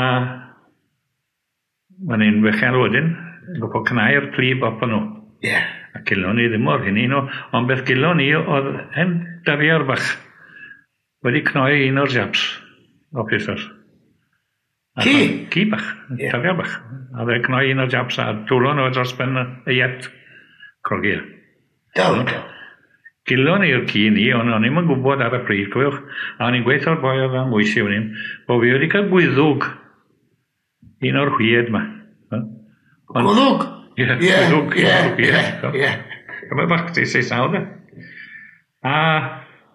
mae'n un fechan wedyn, yn gwybod cnau'r plib op nhw. Ie. A gilon ni ddim o'r hynny nhw, ond beth gilon ni oedd hen dariar bach wedi cnoi un o'r japs o Pisas. Ci? Ci bach, dariar bach. A fe cnoi un o'r japs a dwlo nhw dros ben y iet crogi. Daw, daw. Gilon ni'r ci ni, ond o'n i'm yn gwybod ar y pryd, cofiwch. A o'n i'n gweithio'r boi oedd am wysi o'n i'n, bo fi wedi cael gwyddwg un o'r hwyd ma. Gwddwg? Ie, gwddwg. Ie, Dyma bach ti 7 de. A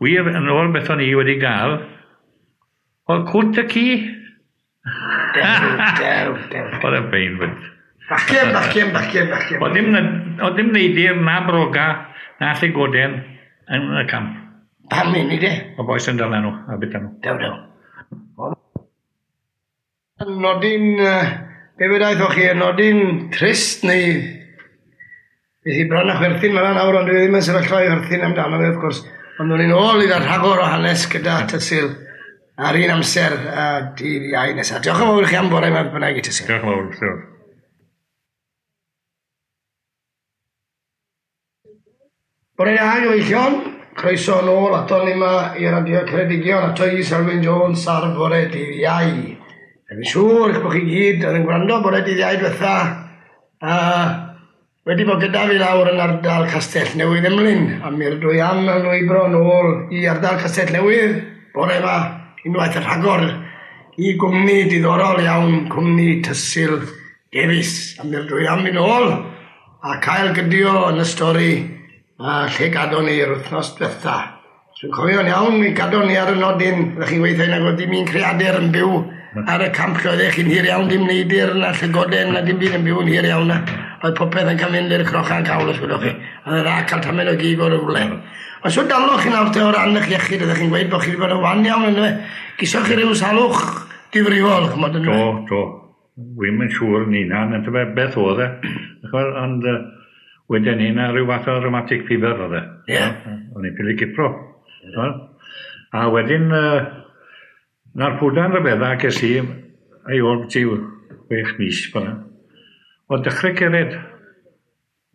wir, yn ôl beth o'n i wedi gael, oedd cwt y ci. Dew, dew, dew. Oedd e'n bein fyd. Bachgen, bachgen, bachgen, bachgen. Oedd dim neidir na broga na llygoden yn y camp. Pam hynny de? O boes yn dala nhw, a bita nhw. Dew, dew. Nodyn, be fedaethoch chi, nodyn trist neu... Beth i bron a chwerthin fyna nawr, ond dwi ddim yn sefyllfa i chwerthin amdano fe, wrth gwrs. Ond o'n i'n ôl i ddod rhagor o hanes gyda Tysil ar un amser a dydd Iau nesaf. Diolch yn fawr i chi am bore yma bynnag i Tysil. Diolch yn fawr, diolch. Bore da, gyfeillion. Croeso nôl ato ni yma i Radio Ceredigion, ato i Selwyn Jones ar bore dydd Iau. Dwi'n siŵr eich bod chi gyd oedd yn gwrando bore dydd Iau diwetha a wedi bod gyda fi lawr yn ardal Castell Newydd Emlyn, a mi rydw i am ymlwybro nôl i ardal Castell Newydd bore yma unwaith y rhagor i gwmni diddorol iawn, cwmni Tysil Davies, a mi rydw i am mynd nôl a cael gydio yn y stori a lle gadon ni yr wythnos diwetha. Dwi'n cofio'n iawn, mi gadon ni ar y nodyn, ydych chi'n gweithio nag oedd dim un creadur yn byw ar y camp lle oeddech chi'n hir iawn, dim neidir na llygoden na dim byd yn byw yn hir iawn na. Oedd popeth yn cael mynd i'r crochan cawl, os gwelwch chi. A oedd dda cael tamed o gig o'r rhywle. Ond so daloch chi nawr te o ran eich iechyd, ydych chi'n gweud bod chi wedi bod yn wan iawn ynddo fe. Gisoch chi ryw salwch difrifol, ch'mod ynddo fe? Do, do. Wi'm yn siŵr yn hunan, yndyfe, beth oedd e. Ond wedyn ni na rhyw fath o rheumatic fever oedd e. Ie. O'n i'n ffili cipro. A wedyn, na'r pwdan rhyfedda ges i, ei ôl ti 6 mis fyna, o dechrau cered.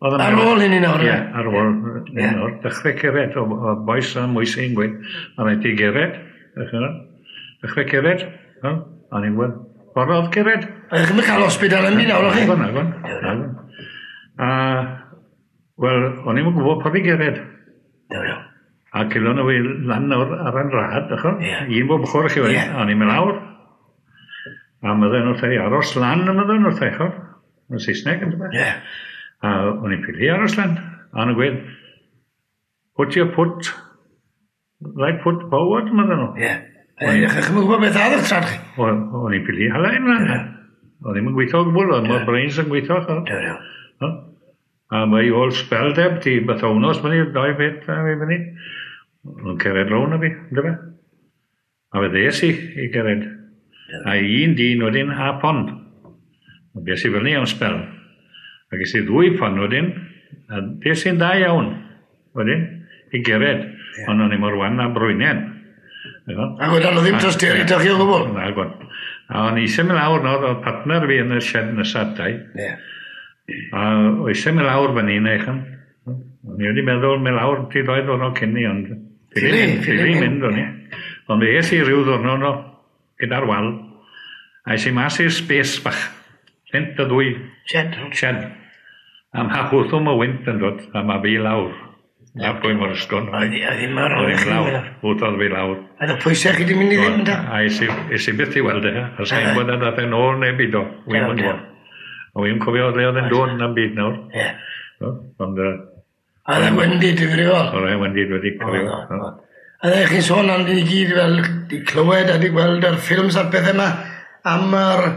Ar ôl hynny nawr? Ie, ar ôl hynny nawr. Dechrau cered, o boes a mwys i'n gweud, a rhaid i gered, dechrau cered, a ni'n gweud, ffordd oedd cered. A chi'n cael hospital yn mynd nawr, o'ch chi? Nagon, nagon. A, wel, o'n i'n gwybod pa fi gered. A cilon nhw i lan nawr ar yn rad, un bob ochr chi wedi, a o'n i'n mynd lawr. A mydden nhw wrtha i aros lan, a mydden nhw wrtha i, chod, yn Saesneg, yn dweud. Ie. A o'n i'n ffili aros lan. A o'n i'n gweud, put your foot, right foot forward, mydden nhw. Ie. Chi'm yn gwybod beth oedd eich trad chi? O'n i'n ffili hala ymlaen. O'n i'n gweithio o gwbl, o'n i'n brains yn gweithio. A mae ôl spel deb, ti beth o wnos fyny, doi beth a fi fyny. O'n cered rown o fi, ynddo fe? A fe ddes i gered. A un dyn wedyn a pond. A bes i fyny am spel. A ges i ddwy pond wedyn, a des i'n dda iawn wedyn, i gered. Ond o'n i mor wan a brwynen. Ac oedd nhw ddim trosteri da chi o gwbl? Nagon. A o'n i eisiau mynd lawr nawr, oedd partner fi yn y shed nesaf dau. A o'n eisiau mynd lawr fyny neu chan. O'n i wedi meddwl mynd lawr ti ddoi ddwrnod cyn ni, ond ffili mynd o'n i. Ond fe es i ryw ddwrnod no, gyda'r wal, a es i mas i'r space bach. Rhent y ddwy. Shed. Shed. A mae hwthwm o wynt yn dod, a mae fi lawr. Na pwy mor ysgon. Oedd ddim ar ôl i chi. Hwthodd fi lawr. A oedd pwysau chi di mynd i ddim, da? A es i byth i weld e. A sa'n gwybod a dath e'n ôl neu byd o. Wy'n gwybod. A wy'n cofio le oedd e'n dod na'n byd nawr. Ie. Ond... A oedd e'n wendid difrifol. Oedd e'n wendid wedi cofio. A oedd chi'n sôn am i gyd fel di clywed a di gweld yr ffilms a'r pethau yma am yr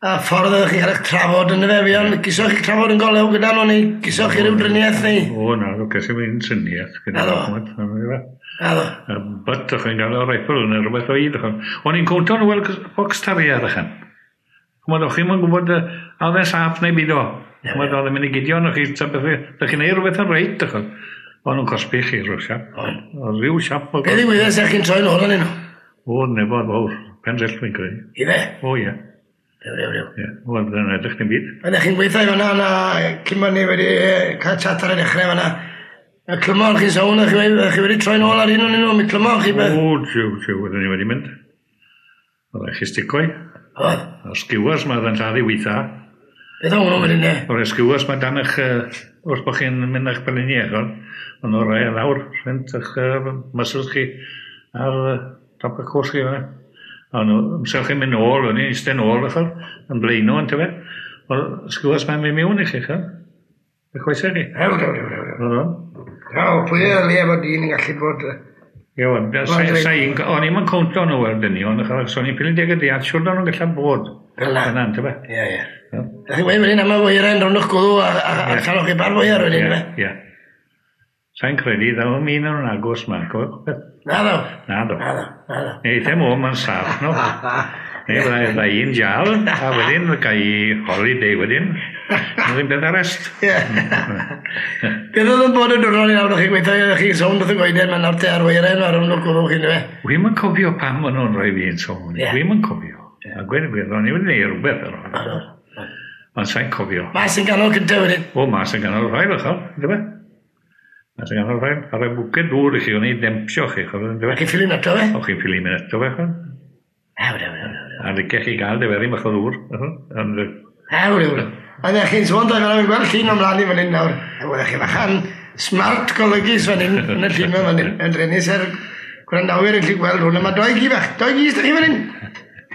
ffordd oeddech chi'n cael eich trafod yn y fe, fi ond gisoch chi trafod yn golew gyda nhw neu gisoch chi ryw driniaeth neu? O na, ces i mynd triniaeth gyda nhw. Naddo. But o'ch chi'n gael o rifle neu rhywbeth o hyd. O'n i'n cwntio nhw fel box terrier ychan. Ch'mod, o'ch chi'm yn gwybod a oedd e'n saff neu byd o. Ch'mod, oedd e'n mynd i gidio arnoch chi, ta beth, ydych chi'n neud rhywbeth yn reit, ch'mod. O'n nhw'n cosbi chi rhyw siap. Oedd rhyw siap. Be ddigwyddodd sech chi'n troi nôl arnyn nhw? O, nefod fawr. Pen dryll fi'n credu. Ife? O, ie. Rew, rew, rew. Ie, wel, byddai'n edrych dim byd. Oeddech chi'n gweithio i fan'na, na, cyn bod ni wedi cael chat ar y dechrau fan'na. Y clymon chi'n sôn, chi wedi troi nôl ar un o'n nhw, mi clymon chi beth. O, jiw, jiw, oedden ni wedi mynd. Oeddech chi sticoi. Oedd. A'r skewers ma oedd yn lladd i weitha. Beth o'n nhw'n mynd i O'r skewers ma dan eich, wrth bod chi'n mynd a'ch belini eich, ond o'r rai lawr, rhent eich muscles chi ar top y cwrs chi fan'na. Ond amser chi'n mynd nôl, o'n i'n eistedd nôl, ch'od, yn blaeno, yn tyfe. Wel, skewers ma'n mynd mewn i chi, ch'od. Y coesau chi. Rew, rew, rew, rew. Oedd o'n. Rew, pwy y le bod dyn yn gallu bod... Ie, o'n i'm yn cownto nhw fel dynion, achos o'n i'n ffili deg y deall, siwr o'n nhw'n gallu bod. Fel 'na. Fel 'na, yntyfe? Ie, ie. Ydych chi'n gweud wedyn am y weiren rownd o'ch gwddw a chael chi bar weiar wedyn, ife? Ie. Sa'n credu, ddaw am un o'n agos ma, cofio beth? Na ddo. Na ddo. Na ddo, na ddo. Neu eitha mo, ma'n saff, no. Neu fydda un jal, a wedyn ga i holiday wedyn. Mae'n beth arest. Ie. Beth oedd yn bod yn diwrnod i nawr, o'ch chi'n gweithio, o'ch chi'n sownd wrth y goeden, mae'n nawr te ar weiren ar rownd o'ch gwddw chi, yndyfe? Wi'm yn cofio pam o'n nhw'n rhoi fi yn sownd. Wi'm yn cofio. A gweud y gwir, o'n i wedi gwneud rhywbeth ar ôl. Ond sa'n cofio. Mas yn ganol cyntaf wedyn? O, mas yn ganol rhaid, o'ch yndyfe? Mas yn ganol rhaid. A rhoi bwced dŵr i chi, o'n i dempsio chi, ch'od, yndyfe? Chi'n ffili nato fe? O, chi'n ffili mynd ato fe, ch'od. Ew, ew, ew, ew. A licech chi gael diferu bach o ddŵr. Ond... Ew, ew, ew. A ddech chi'n sôn, da fi'n gweld llun o'm mlaen i fan hyn nawr. Oeddech chi fachan smart golygus fan hyn, yn y llun fan hyn. Yn drenus er gwrandawyr yn gallu gweld hwn. Mae doi gi bach, doi gi s'da chi fan hyn?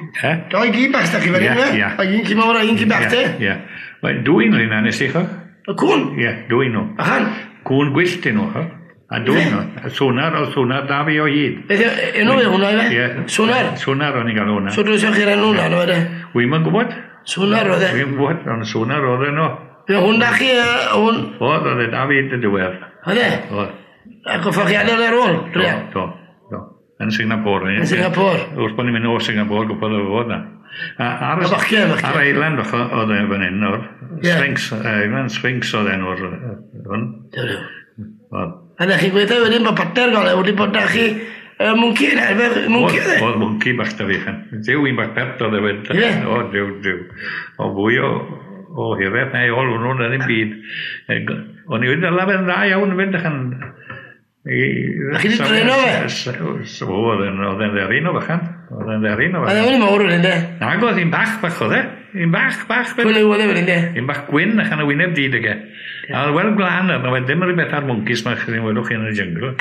Eh? Doi gi bach s'da chi fan hyn, Ie, ie. A un ci mawr a un ci bach te? Ie. Wel, dwy'n rheina nes i, ch'od? Y cwn? Ie, dwy nhw. Achan? Cwn gwyllt i nhw, ch'od? A dwy nhw. Swnar, oedd swnar da fi o hyd. Beth enw e hwnna, ife? Ie. Swnar? Swnar o'n i'n gael hwnna. So dwi'n chi'r enw hwnna, no, e? Wi'm yn gwybod. Swnar oedd e? Wi'm yn gwybod, ond swnar oedd e nhw. Fe hwn da chi, hwn? Oedd, oedd e da fi y diwedd. Oedd e? Oedd. Ac o ffordd chi adael ar ôl? Do, do, do. Yn Singapore. Yn Singapore? Wrth bod ni'n mynd o Singapore, gwybod oedd fod na. Ar ar island oedd e fan hyn, o'r Sphinx, Island Sphinx oedd enw'r hwn. Do, do. A na chi'n gweithio wedyn bod partner gael e, wedi bod da chi mwnci yna, efe mwnci oedd e? Oedd mwnci bach da fi, chan. Duw, un bach pert oedd e wedyn. Ie? O, duw, duw. O, fwy o o hiraeth neu ôl hwnnw, na ddim byd. O'n i wedi dala fe'n dda iawn fynd achan. A chi wedi dreno fe? O, oedd e'n dderyn o fychan. Oedd e'n dderyn o fychan. Oedd e'n mawr wedyn, de? Nag oedd, un bach bach oedd e. Un bach, bach. Pwy liw oedd e wedyn, de? Un bach gwyn achan y wyneb di dyge. A oedd wel glân, a oedd ddim rhywbeth ar mwncis ma chi'n welwch chi yn y jyngl.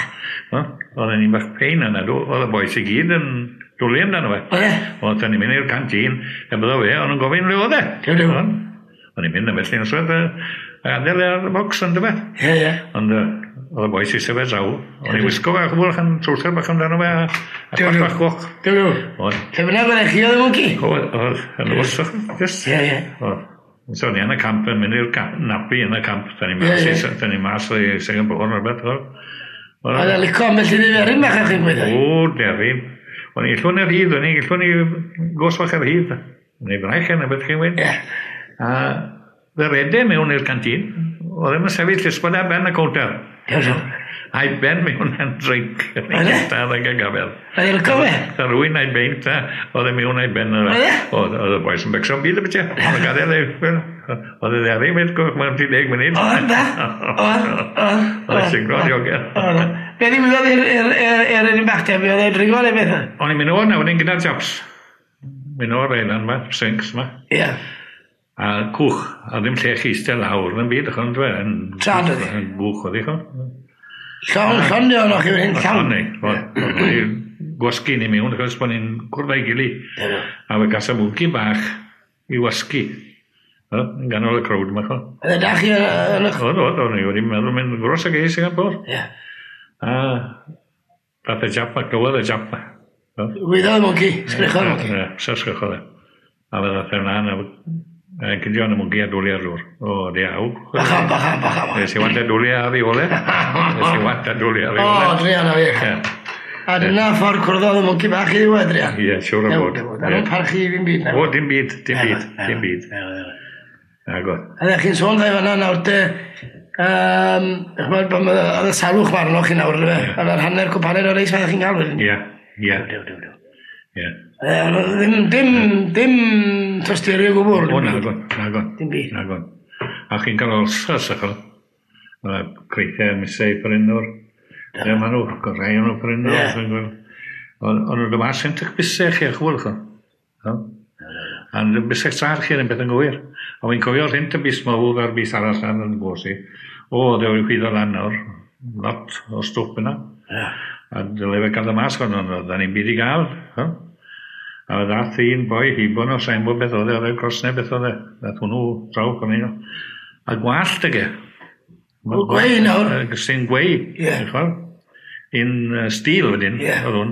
Oedd e'n un bach pein yna, oedd y bois i gyd yn dwlu amdano fe. Oedd e? Oedd ni'n mynd i'r canteen, e byddo fe, o'n nhw'n gofyn le oedd e. O'n i'n mynd ymell i'n yswedd, a gadael ar y bocs ond fe. Ie, ie. Ond oedd y bois eisiau fe draw. O'n i'n wisgo fe, chwbl, chan trwser bach amdano fe, a bach bach goch. Dew, dew. Lle bynnag oedd chi oedd y mwnci? Oedd, oedd, yn wrth, just. Ie, ie. Oedd. So o'n i yn y camp yn mynd i'r napi yn y camp. Da ni mas i Singapore neu rhywbeth. Oedd e'n licio ambell i dderyn bach o'ch chi'n gweithio? O, deryn. O'n i'n llwn yr hyd, o'n i'n llwn i gos fach yr hyd. Neu braich neu beth chi'n gweud. A fe rede mewn i'r canteen. Oedd e'n sefyll llysbod ar ben y cownter. A'i ben mewn yn drink. Oedd e? Oedd e'n gafel. Oedd e'n licio fe? Oedd rwy'n a'i beint a oedd e mewn a'i ben. Oedd e? Oedd y boys yn becso'n byd y beth. Oedd e'n gadael ei... Oedd e dderu, mewn mewn 30 munud. Oedd da? Oedd, oedd. Oedd e'n siglo diogel. Be ddigwyddodd i'r un bach te? Oedd e'n dringo neu beth? O'n i'n mynd o'r nawr, o'n gyda'r Japs. Mynd o'r eilan ma, sinks ma. Ie. A cwch, a ddim lle chi eistedd lawr yn byd, chon, dwe. Trad oedd hi? Gwch oedd hi, chon. Llawn, llawn o'n chi fan hyn, llawn. Llawn, ni. Gwasgu ni mewn, achos bod ni'n cwrdd â'i gili. A fe gas y mwnci bach i wasgu. Yn ganol y crowd yma, chon. Oedd e da chi yn eich... Oedd, oedd, o'n i wedi meddwl mynd gros ag ei Singapore. Ie. A dath y Jap ma, glywodd y Jap ma. Wyddodd y mwnci, sgrichodd y mwnci. Ie, sgrichodd e. A fe ddath e mlaen, a cydio yn y mwnci a dwlu ar ddŵr. O, diaw. Bachan, bachan, bachan. Nes i want a dwlu ar ei ole. Nes i want a dwlu ar ei ole. O, druan o fi. A dyna ffordd cwrddodd y mwnci bach i ddiwedd, druan. Ie, siŵr o fod. Da nhw'n parchu i fi'n byd. O, dim byd, dim byd, dim byd. Agos. A ddech chi'n sôn dda fan'na nawr te, ch'mod, oedd y salwch ma arnoch chi nawr, yndyfe? Oedd yr hanner cwpaned o reis oeddech chi'n cael wedyn? Ie, ie. Ie. Ddim tosturi o gwbl. O, nagon, nagon. Dim byd. Nagon. A chi'n cael ulcers, achos. Mae creithiau misau prynwr. Ie, maen nhw, rhai o'n nhw prynwr. Ond nhw'n dod mas yn tych bysau chi, chwbl, chwbl. A bysau sar chi yn beth yn gywir. A wy'n cofio rhent y bys mawr a'r bys arall lan yn gwrs i. O, dde wedi chwyddo lan nawr. Lot o stwff yna. A dyle fe gael y mas hwn, ond oedden ni'n byd i gael. A ddath un boi hibo nhw, sa'n bod beth oedd e, oedd e'n cros neu beth oedd e. Ddath hwnnw draw fan hyn. A gwallt ag e. O, gweu nawr. Sy'n gweu. Ie. Un stil wedyn, oedd hwn.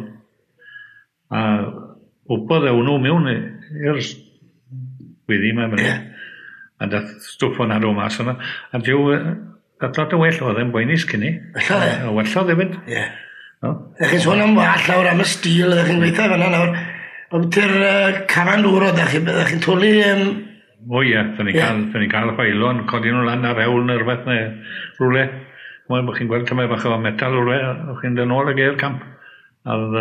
A wpodd e hwnnw mewn i'r gwyddi yma. A dath stwff o'n adw mas yna. A diw, dath lot o well oedd e'n boenus cyn i. Wellodd e? Wellodd hefyd. Ie. Ydych chi'n sôn am wall nawr, am y stil, ydych chi'n gweithio fan'na nawr. Obwyti'r cafan dŵr oeddech chi, byddech chi'n twlu... O ie, dyn ni'n cael chwaelon, codi nhw lan ar hewl neu rhywbeth neu rhywle. Mae'n bod chi'n gweld tymaid bach o metal rhywle, o'ch chi'n dod nôl ag i'r camp. A oedd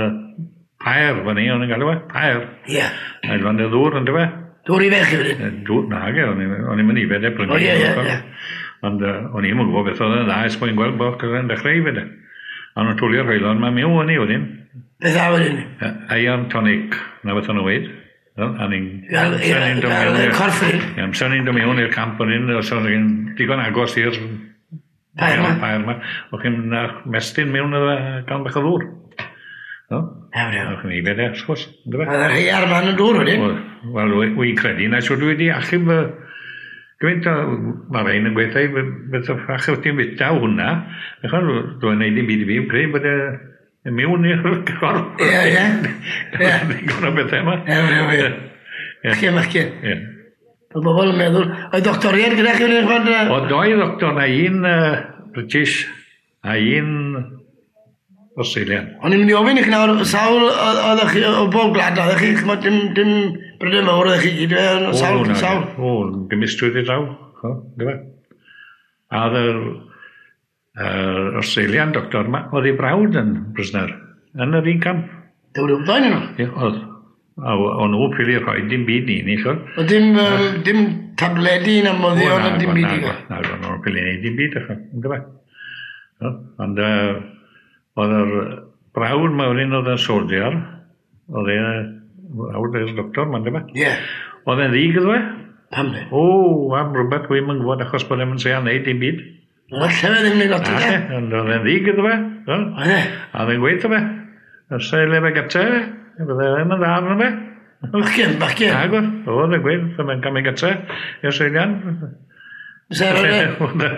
pair fan ni, o'n i'n galw e, pair. Ie. A llond y ddŵr, yndyfe? Dŵr i fe chi wedyn? Dŵr, nage, o'n i'n mynd i fed e brynu. O ie, ie, ie. Ond o'n i'n gwybod beth oedd yn dda, ers bod i'n gweld bod yn dechrau i fed e. A nhw'n twlio'r rheilon, mae miw o'n i wedyn. Beth a wedyn? Iron tonic, na beth o'n nhw'n weid. A ni'n... Gael corff wedyn? Ie, amser ni'n dod mewn i'r camp o'n un, os o'n i'n digon agos i'r pair ma. Pair ma. O'ch chi'n mestyn mewn iddo fe gael bach o ddŵr. No? O'ch chi'n ifed e, wrth gwrs. Oedd yr rhai ar man yn dŵr wedyn? Wel, wy'n credu na siwr dwi wedi achub gymaint o... Mae rhain yn gweithio, beth o ffach wyt ti'n fita hwnna. Achos dwi'n neud dim byd i fi, yn credu bod e mewn i'r corff. Ie, ie. Digon o bethau yma. Ie, ie. Machgen, machgen. Ie. Oedd bobl yn meddwl, oedd doctoriaid gyda chi wedi bod? Oedd doi doctor, na un British a un Australian. O'n i'n mynd i ofyn i chi nawr, sawl oeddech chi o bob gwlad, oeddech chi, ch'mod, dim Brydain Fawr oeddech chi gyd, sawl, sawl. O, gymysgwyd i draw, yndyfe. A oedd yr Australian doctor yma, oedd ei brawd yn prisoner, yn yr un camp. Dewr yw'n ddau nhw? Ie, oedd. A o'n nhw ffili rhoi dim byd i ni, ch'od. O dim tabledi na moddion na dim byd i gael? Na, o'n nhw'n ffili neud dim byd, ch'od, yndyfe? Ond oedd yr brawd ma wedyn oedd yn soldier, oedd e'n brawd i'r doctor ma, yndyfe? Ie. Oedd e'n ddig iddo fe? Pam ne? O, am rhywbeth dwi'm yn gwybod achos bod e'n treial neud dim byd. Wel, alle fe ddim neud lot o de. Ond oedd e'n ddig iddo fe. Oedd e? A oedd e'n gweud iddo fe, os ei le fe gyte, bydde ddim yn dda arno fe. Bachgen, bachgen. Nag oedd, e'n gweud, mae'n cael mynd gyte, i'r Seilian. Se ddim yn dda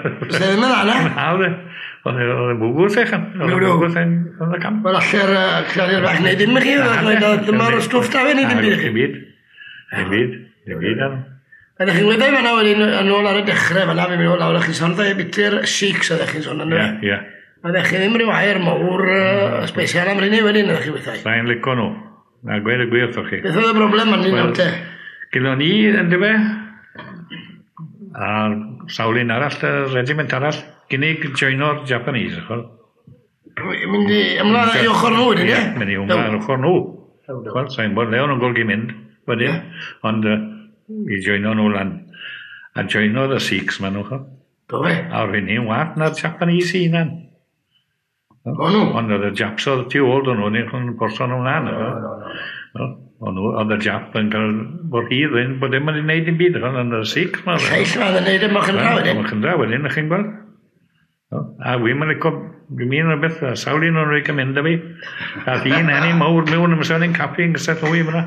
na? Na, oedd e'n bwgwth eich. Oedd e'n bwgwth yn y camp. Wel, alle'r clari'r bach neud dim i chi, dyma'r stwff da fe neud dim byd i chi. Dim byd, dim byd, dim byd. Ydych chi'n gweud fan'na wedyn yn ôl ar y dechrau fan'na, fi'n mynd lawr, chi'n sôn dda biti'r Sikhs oeddech chi'n sôn yna. Ie, ie. Oeddech chi ddim rhyw air mawr special am rheiny wedyn, oeddech chi weithiau? Sa'n lico nhw. Na, gweud y gwir wrthoch chi. Beth oedd y broblem yn nawr te? Gyda ni, yndyfe, a sawl un arall, y regiment arall, gynnig joino'r Japanese, ch'wel. Mynd i ymlaen i ochr nhw wedyn, ie? Mynd i ymlaen ar ochr nhw. Ch'wel, sa'n gwybod le o'n nhw'n golygu mynd wedyn, ond i joino nhw lan. A joinodd y Sikhs ma nhw, ch'wel. Do fe? A o'r hynny'n wath na'r Japanese i hunan. O nhw? Ond oedd y Japs oedd tu ôl dyn nhw, ni'n porso nhw mlaen. No. Oedd y Jap yn cael bod rhydd yn bod ddim yn gwneud dim byd, ond y Sikhs ma. Lleill ma yn gwneud y mochynra wedyn. Mochynra wedyn, ych chi'n gweld. A wi'n mynd licio, dwi'n mynd rhywbeth, a sawl un o'n rhaid mynd â fi. A un enni mawr mewn ymysg yn caffi yn gysell mwy fyna.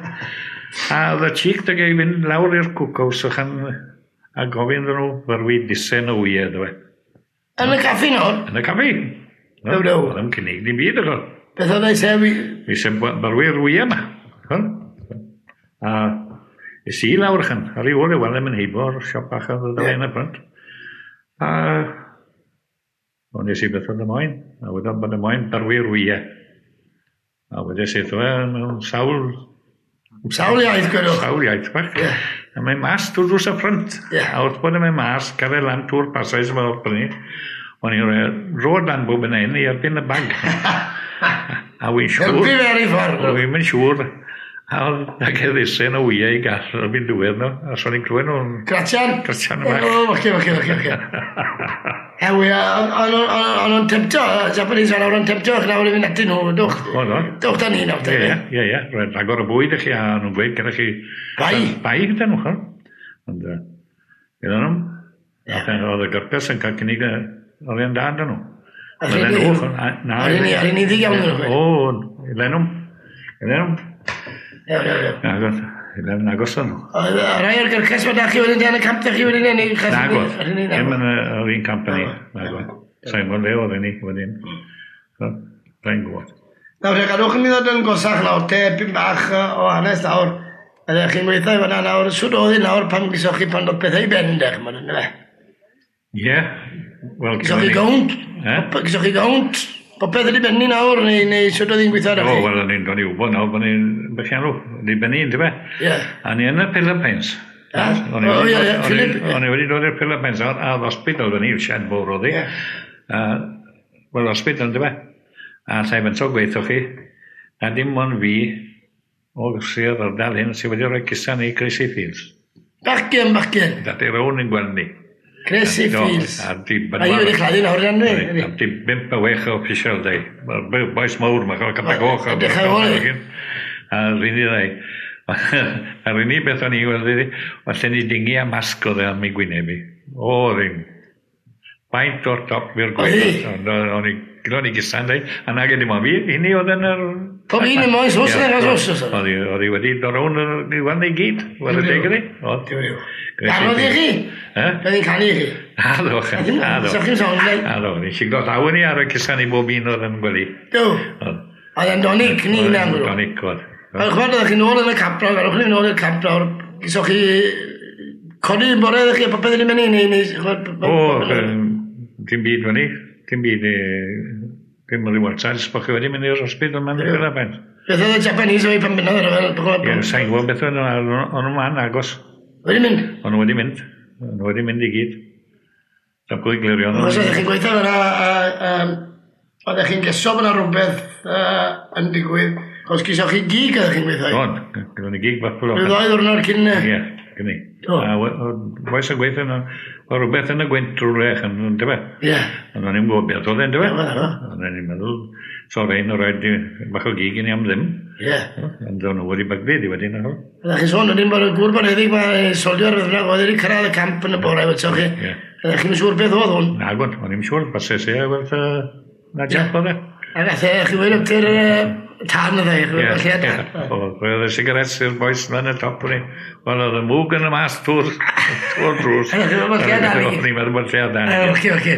A oedd y cheek da i fynd lawr i'r cookhouse a gofyn iddyn nhw fyrwi disen o wyau, dwi. Yn y caffi nawr? Yn y caffi. No, no. Oedd yn cynnig dim byd, o'ch. Beth oedd eisiau? Eisiau barwy'r wyau yma. A es i lawr chan, ar ei ôl i weld yn heibo'r siop bach oedd yn y ffrynt. A o'n nes i beth oedd y moyn, a wedyn bod y moyn barwy'r wyau. A wedyn sydd e mewn sawl... Sawl iaith, gwedwch. Sawl iaith bach. Yeah. A mae mas trwy drws y ffrynt. Yeah. A wrth bod yn mynd mas, cael ei lan trwy'r pasais yma o'r brynu. O'n i'n rhoi rod lan bob yn hyn i erbyn y bag. A wy'n siŵr... Helpu fe ar ei ffordd. Wy'n mynd siŵr. A oedd ag eddisen o wyau i gall erbyn diwedd nhw. A so'n i'n clywed nhw'n... Gratian? Gratian yma. O, oce, oce, oce, oce. Hewi, o'n nhw'n temptio, Japanese o'n nhw'n temptio, nawr i fynd atyn nhw, dwch. Dwch da ni nawr. Ie, ie, ie. Roedd rhagor o bwyd i chi, a nhw'n gweud gyda chi... Bai? Bai gyda nhw, ch'od. Ond, gyda nhw. Oedd y gyrpes yn cael cynnig orion da dyn nhw. Ar un iddi iawn nhw. O, Lenwm. Lenwm. Iawn, iawn, iawn. Lenwm agos o'n nhw. Rai o'r gyrches ma da chi wedyn yn y camp da chi wedyn yn ei... Nagod. Ddim yn yr un camp yn ni. Nagod. Sa'n gwybod le oedd ni wedyn. Sa'n gwybod. Nawr, te, gadwch ni ddod yn gosach nawr, te, pyn bach o hanes nawr. Ydych chi'n gweithio i fan'na nawr, sut oedd hi nawr pan gysoch chi pan dod pethau i ben, dech, ma'n yna fe? Ie. Wel, Gysoch chi gownt? Gysoch chi gownt? Popeth wedi benni nawr, neu sut oedd hi'n gweithio arach O, chi? wel, o'n i'n dod i wybod nawr bod ni'n bychianw, wedi benni, yndyfe? Ie. A ni yn y Philippines. O, ie, ie, Philip. O'n i wedi dod i'r Philippines, a'r hospital fyny, shed fawr oedd hi. Wel, hospital, yndyfe? A llai fentro gweithio chi, na dim ond fi, o sir ardal hyn, sydd wedi rhoi cusan i Gracie Fields. Bachgen, bachgen. Dati rown yn gweld ni. Gracie Fields. A di A hi wedi chladdu nawr, dan ni. A di 5 a 6 o official day. Boes mawr, mae'n cael capa goch. Dechrau o'r. A rydyn ni ddau. A'r unig beth o'n i weld iddi, o lle ni dingi a masg oedd e am ei gwyneb i. O, ddim. Faint o'r top i'r gwaelod. Ond o'n i, gyda ni gysan, dweud, a nag dim ond fi, hynny oedd yn yr... Pob un yn moes, os yna, os os. Oedd hi wedi dod rownd i weld i gyd, weld y deg iddi. Oedd. Ganodd i chi? Roedd hi'n canu i chi? Addo, addo. Sa'ch chi'n sôn, dweud? Addo, ni'n siglo llaw ni ar y cysan i bob un oedd yn gwely. Do. Oedd e'n donic, ni hynna. Donic, oedd. Ond chwbod, oeddech chi'n ôl yn y camp nawr, gadwch chi nôl i'r camp nawr, gysoch chi codi yn bore, oeddech chi a popeth yn mynd i, neu... O, dim byd fyny, dim byd, dim rhyw wrtad, bod chi wedi mynd i'r hospital yma'n y Philippines. Beth oedd y Japanese o'i pan bynnag ar y Ie, sa'n gwybod beth oedd o'n nhw'n man agos. Wedi mynd? O'n nhw wedi mynd. O'n nhw wedi mynd i gyd. Sa pwy glirio. Os oeddech chi'n gweithio fyna, oeddech chi'n geso fyna rhywbeth yn digwydd, Chos gysoch chi gig ydych chi'n gweithio? Don, gyda ni gig Buffalo. Rhyw ddau ddwrnod cyn... Ie, gyda ni. A oes y gweithio yna, o rhywbeth yn y gwynt drwy'r rech, yn dyfe? Ie. Ond o'n i'n gwybod beth oedd e'n dyfe? Ond o'n i'n meddwl, so rein o roed bach o gig i ni am ddim. Ie. Ond o'n nhw wedi bygdu di wedyn. Ydych chi'n sôn, wedyn bod y gŵr boneddig mae soldier oedd yna, oedd wedi cyrraedd y camp yn y bore, wetsoch chi. Ie. Ydych chi'n siŵr beth oedd hwn? Nagwn, o'n i'n siŵr, fase se, werth na jump oedd e. A gath e, chi wedi ypty'r tan oedd e, chi wedi lle dan. Roedd y sigaret i'r boys lan y top o'n i. Wel, oedd y mwg yn y mas trwy'r drws. Oedd chi'n meddwl lle dan. O'n i'n meddwl bod lle dan. Oce, oce.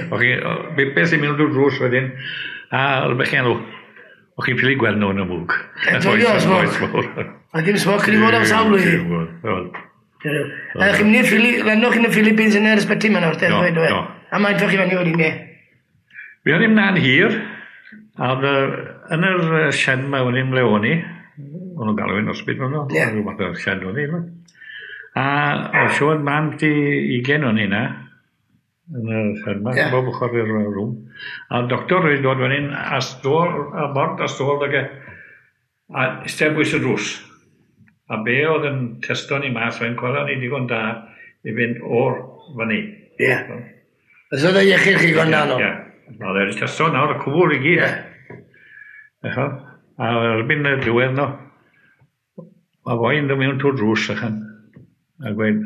Beth sy'n mynd drwy'r drws wedyn, a oedd beth chi'n O'ch chi'n ffili gweld nhw yn y mwg. Joio, smog. A dim smog chi fod am sawl blwyddyn. A chi'n mynd i'r ffili, lenwch chi'n y Philippines yn yr ysbyty yma nawr, Do, A mae'n chi fyny wedyn, ne? Fi o'n i'n na'n hir, a oedd yn yr shed yma o'n i'n mle o'n i, o'n nhw'n galw i'n hospital nhw, rhyw fath o shed o'n i. A oedd siŵr man di 20 o'n i na, yn y shed yma, bob ochr i'r rŵm. A'r doctor wedi dod fan hyn, a stôl, a bord a stôl, ag e, a eistedd bwys y drws. A be oedd yn testo ni mas, fe'n cwala ni digon da i fynd o'r fyny. Ie. Yeah. Os oedd e iechyd chi gwan da nhw? Ie. Oedd e wedi testo nawr y cwbl i gyd. Ie. A erbyn y diwedd no, mae foi'n dod mewn trwy'r drws ychan, a gweud,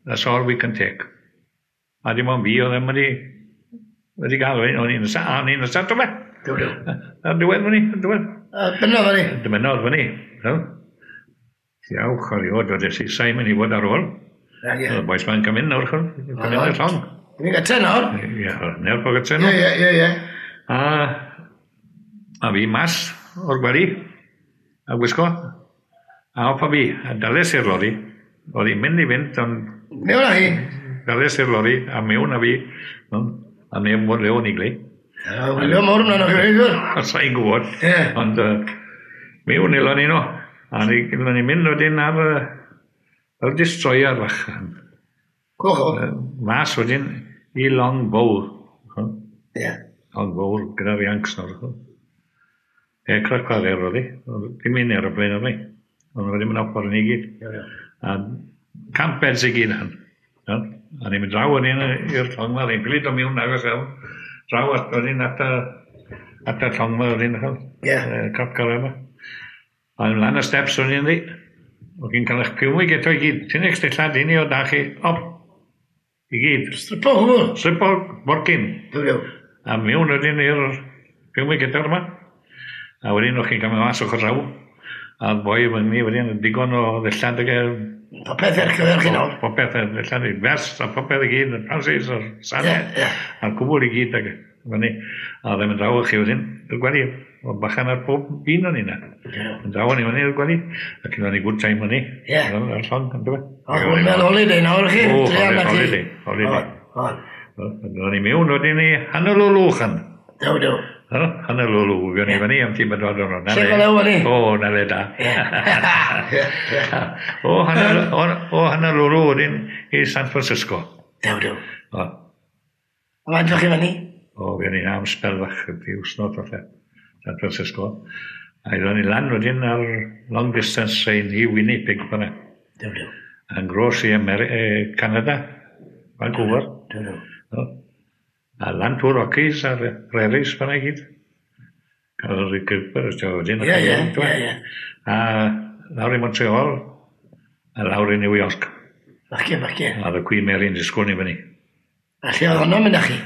that's all we can take. A dim ond fi oedd e wedi gael, o'n i'n nesa, to fe. Do, do. A diwedd fyny, diwedd. A dyna fyny. Dymunodd fyny. Iawch, oriod, oedd e sa'n mynd i fod ar ôl. Ie. Oedd y boys ma'n cymryd nawr, cymryd i'r llong. Ni'n gytre nawr? Ie, neu'r po gytre nawr. Ie, ie, ie. A fi mas o'r gwely, a gwisgo, a off a fi, a dales i'r lori. Oedd hi'n mynd i fynd, ond... Mewn â chi? Dales i'r lori, a mewn â fi, a mewn bod le o'n i glei. Wylio mawr ymlaen o'ch chi'n gwybod. Sa'n gwybod. Ond mewn ilon ni no. A ni'n mynd wedyn ar y destroyer fach. Coch o? Mas wedyn i Longbow. Ie. Longbow gyda'r Yanks nawr. Aircraft carrier oedd hi. Dim un aeroplane oedd hi. Ond wedi mynd off ar ni gyd. A camp beds i gyd han. A ni'n mynd draw wedyn i'r llong ma. Ni'n pili dod mewn agos iawn. Draw at wedyn at y llong ma wedyn. Ie. Aircraft carrier ma. A lan y steps o'n i'n ddi. O'ch chi'n cael eich piwmig eto i gyd. Ti'n eich dillad i ni o da chi, op, i gyd. Stripo hwnnw? Stripo borcyn. Dw. A mewn wedyn i'r piwmig eto yma. A wedyn o'ch chi'n cael mas o'ch raw. A boi fyny wedyn digon o ddillad ag e... Popeth er cyfer chi nawr. Popeth er ddillad, vest a popeth i gyd, y trousers a'r sanau. A'r cwbl i gyd ag fyny. A ddim yn draw chi wedyn, i'r gwely. O bachan ar pob un o'n i na. Yn draw o'n i fyny i'r gwely. Ac yn o'n i good time o'n i. Ie. Ar llong, yn dweud. O, hwnna'n holiday nawr chi. O, holiday, holiday. O'n i mewn wedyn i Honolulu chan. Dew, dew. Honolulu, fi o'n i fyny am ti bedwar diwrnod. Lle go lew o'n i? O, na le da. O, Honolulu wedyn i San Francisco. Dew, dew. O. A faint o'ch chi fyny? O, fi o'n i am sbel fach, di wsnos falle. San Francisco. A iddon ni lan wedyn ar long distance train i Winnipeg fyna. Dew, dew. Yn gros i Canada, Vancouver. Dew, dew. A lan trwy'r Rockies a'r Prairies fyna i gyd. Cael yr Cooper, wedyn. Ie, ie, ie, ie. A lawr i Montreal, a lawr i New York. Fachgen, fachgen. A y Queen Mary'n disgwyl ni fyny. A lle oedd honno'n mynd â chi?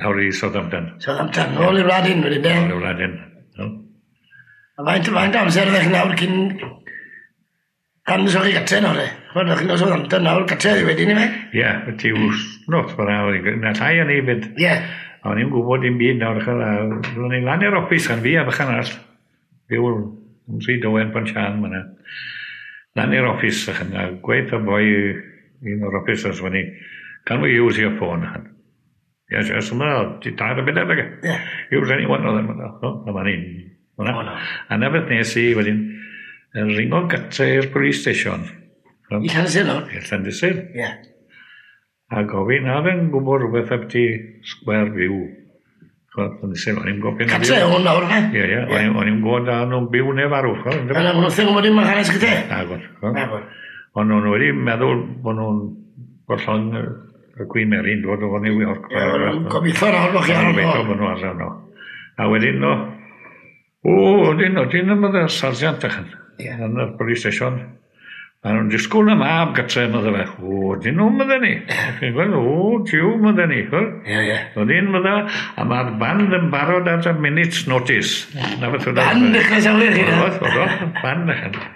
Lawr i Southampton. Southampton, nôl i'r wlad hyn wedyn, de? Nôl i'r wlad hyn. A faint amser ydych chi nawr cyn... Pan ddysgoch chi gatre nawr, e? Ch'mod, ydych chi'n dod Southampton nawr, gatre wedyn i fe? Ie, ti wsnos fyna, na llai o'n i fyd. Ie. A o'n i'n gwybod dim byd nawr, a o'n i'n lan i'r office gan fi a bychan arall. Byw yn Rhyd Owen Pontsian myna. Lan i'r office, a gweud y boi un o'r officers fyny, can we use your phone? Yes, yes, yma, ti tair y byd ag. Use any one of them. Yma ni'n. A na beth nes i wedyn, ringo gatre i'r police station. I Llandysul nawr? I Llandysul. Ie. A gofyn, a fe'n gwybod rhywbeth am ti Square View. O'n i'n gwybod... Catre o'n nawr, fe? Ie, ie. O'n i'n gwybod a nhw'n byw neu farw. Yna, nhw'n thing wedi ma'n hanes gyda? Nagod. Nagod. Ond nhw'n wedi meddwl bod nhw'n gollon y Queen Mary'n dod o New York. Ie, gobeithio nawr bod chi ar Gobeithio bod nhw ar yno. A wedyn no, wedyn yma sargeant ychan. Yn y police station. A nhw'n disgwyl y mab gytre, mydde fe. O, dyn nhw'n mydde ni. Chi'n gweld, o, tiw mydde ni. Ie, ie. O, dyn mydde, a mae'r band yn barod at a minute's notice. Na beth oedd. Band dechrau sawr chi. Oedd, oedd, band dechrau.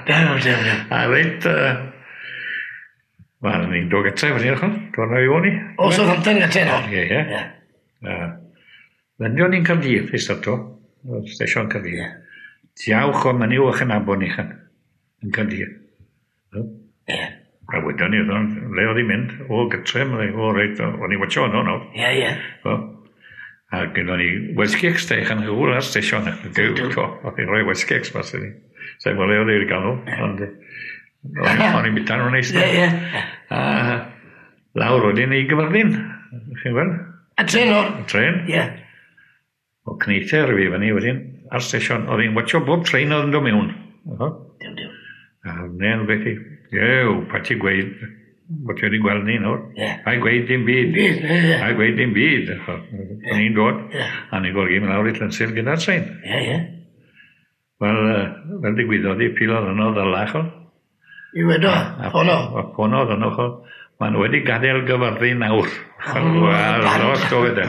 Dew, dew, dew. A reit, wel, ni'n dod gytre fyny, chon. Dod na i o'n i. O, Southampton gytre nawr. Ie, ie. Fendio ni'n Caerdydd, i starto. Stesion Caerdydd. Diawch o mynyw o'ch yn abon i chan. Yn Caerdydd. Ie. A wedyn ni, le oedd hi'n mynd, o gytre, o reit, o'n i watcho yno nawr. Ie, ie. A gyda ni Welsh Cakes da, chan hwyl ar stesion. Oedd hi'n rhoi Welsh Cakes mas i ni. Sa'n gwybod le oedd hi'n gael nhw, ond o'n i'n bita nhw'n neis. Ie, ie. A lawr wedyn i Gyfyrddin, chi'n gweld? A tren o'r? Tren. Ie. O cneither fi fyny wedyn, ar stesion, oedd hi'n watcho bob tren oedd yn dod mewn. Dew, dew. A wne'n beth i, ew, pa ti gweud, bod ti wedi gweld ni nawr. Ie. Pa i gweud dim byd. Byd, ie. Pa i gweud dim byd. O'n i'n dod, a ni'n golygu mynd lawr i Llansil gyda'r tren. Ie, ie. Wel, fel digwyddodd i, pilodd yno ddylach o. I wedo, ffono. A ffonodd yno, cho. Maen nhw wedi gadael Gyfyrddin nawr. Wel, os do fe.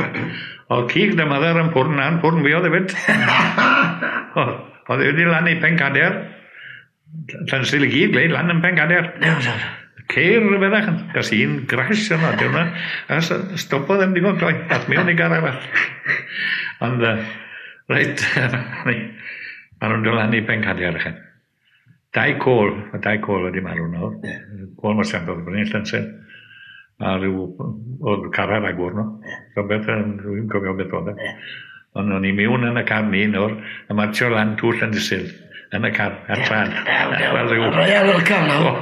Oedd cig dy mother yn pwrn na'n pwrn fi oedd hefyd. Oedd wedi lan i Pencader. Llansil i gyd, gleid lan yn Pencader. Dew, dew. Ceir rhywbeth, gas un crash yno, diw na. A stopodd yn digon gloi, ath mewn i gar arall. Ond, reit, maen nhw'n dod lan i Pencader. Dau côl, mae dau côl wedi marw nawr. Côl Marsiant oedd brynu Llansil. A rhyw, oedd car ar agor no. So beth, dwi'n cofio beth oedd e. Ond o'n i mewn yn y car ni nawr, a martio lan twll Llandysul. Yn y car, ar tran. Royal welcome nawr.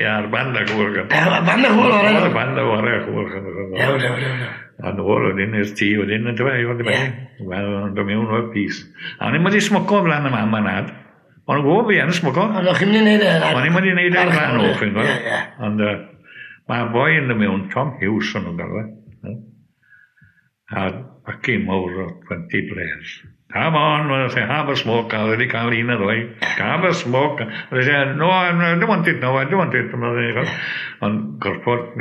Ie, ar band ag hwyl. Band ag hwyl o'r enw. Band ag hwyl. Dew, dew, dew. A nôl wedyn i'r tŷ wedyn, yn dweud, oedd i Wel, o'n dod mewn o'r pys. A o'n i'n mynd i smoco flan y mam a nad. O'n gwybod fi yn smoco. Ond o'ch chi'n mynd i wneud e? O'n i'n mynd i wneud e flan o'ch chi'n gwybod. Ond mae boi yn dod mewn, Tom Hughes o'n nhw'n galw e. A pacin mawr o 20 players. Come on, I say, have a smoke. I wedi cael un a ddwy. Have a smoke. I say, no, I don't want it, no, I don't want it. Ond gorfod,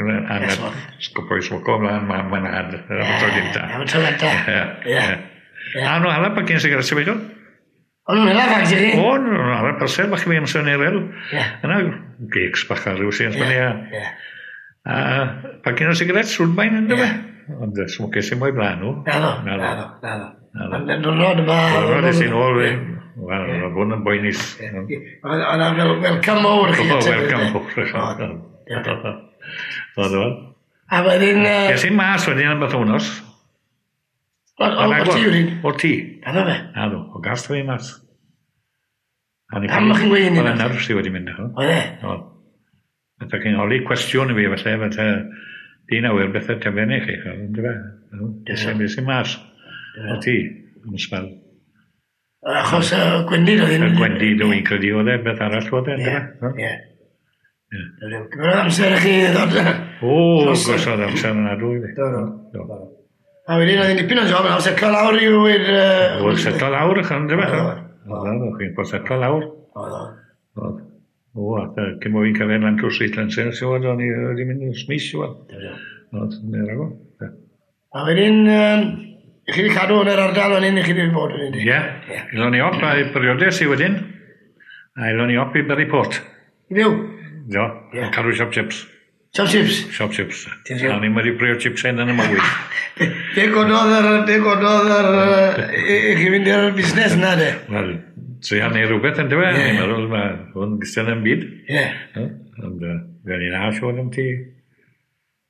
sgopo i smoco ymlaen, mam a'n had. Am y tro gynta. Am y tro gynta. Ie. A nhw hala pacin sigaret sy'n beidio? O'n nhw'n hela fags i chi? O, nhw'n hala persel bach i fi amser yn erel. Yna, gigs bach ar ryw sy'n ysbyny. A pacin o sigaret, Woodbine yn dweud. Ond smoces i mwy blaen nhw. Naddo, naddo, naddo. Ond diwrnod yma... Diwrnod es i'n ôl, wel, oedd hwn yn boenus. Oedd yna welcome mowr chi. O, welcome mowr. Oedd o'n. A wedyn... Es i'n mas wedyn am beth wnos. O'r tŷ wedyn? O'r tŷ. Naddo fe? Naddo, o gas fi mas. Pam o'ch chi'n gweud hynny? Oedd y nerfs i wedi mynd. Oedd e? Oedd. Fatha chi'n holi cwestiwn i fi, felly, fatha, dyn awyr beth y tefennu chi. Es i'n mas. O ti, am sbel. Achos y gwendid oedd hyn? Y gwendid o'n credu oedd e, beth arall oedd e. Ie, ie. Gymerodd amser i chi ddod? O, gosodd amser yna dwi. Do, do. A wedyn oedd hi'n dipyn o job, nawr setlo lawr i wyr... Oedd setlo lawr, ychan, dy fe? Oedd, chi'n bod setlo lawr. Oedd, O, a cyn bo fi'n cyrraedd lan trwy Street Lancer, siwr, o'n i wedi mynd i'r smis, siwr. Oedd, neu rhago. A wedyn, chi wedi cadw yn yr ardal fan hyn, chi wedi bod yn hyn? Ie. Aelon ni op i briodes i wedyn. A aelon ni op i Burry Port. I fyw? Do. Cadw siop chips. Siop chips? Siop chips. A ni'n wedi brio chips hyn yn y mywyd. Be gododd yr... Be gododd yr... I chi fynd i'r busnes yna, de? Wel, treial neu rhywbeth yn dweud. Ni'n meddwl, mae hwn gystal yn byd. Ie. Ond fe ni'n a siwr am ti.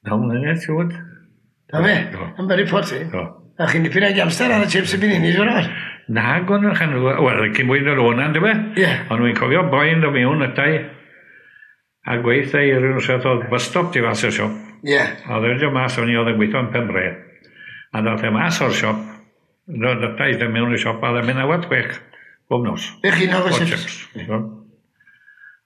9 mlynedd, siwr. Da fe? Yn Burry Port, i? Do. A chi'n dipyn o gamster ar y chips y byd hynny, siwr o'r? Na, gwn nhw'n chan... Wel, cyn mwyn o'r o'na, dwi fe? Ie. Ond wy'n cofio boi'n dod mewn atai a gweithio i rhywun sydd oedd bus stop tu fas i'r siop. Ie. A oedd e'n mas o'n i oedd yn gweithio yn Penbre. A ddath e mas o'r siop, ddath e mewn i'r siop, a oedd e'n mynd 6:15 bob nos. Be chi'n hoffi chips? Chips.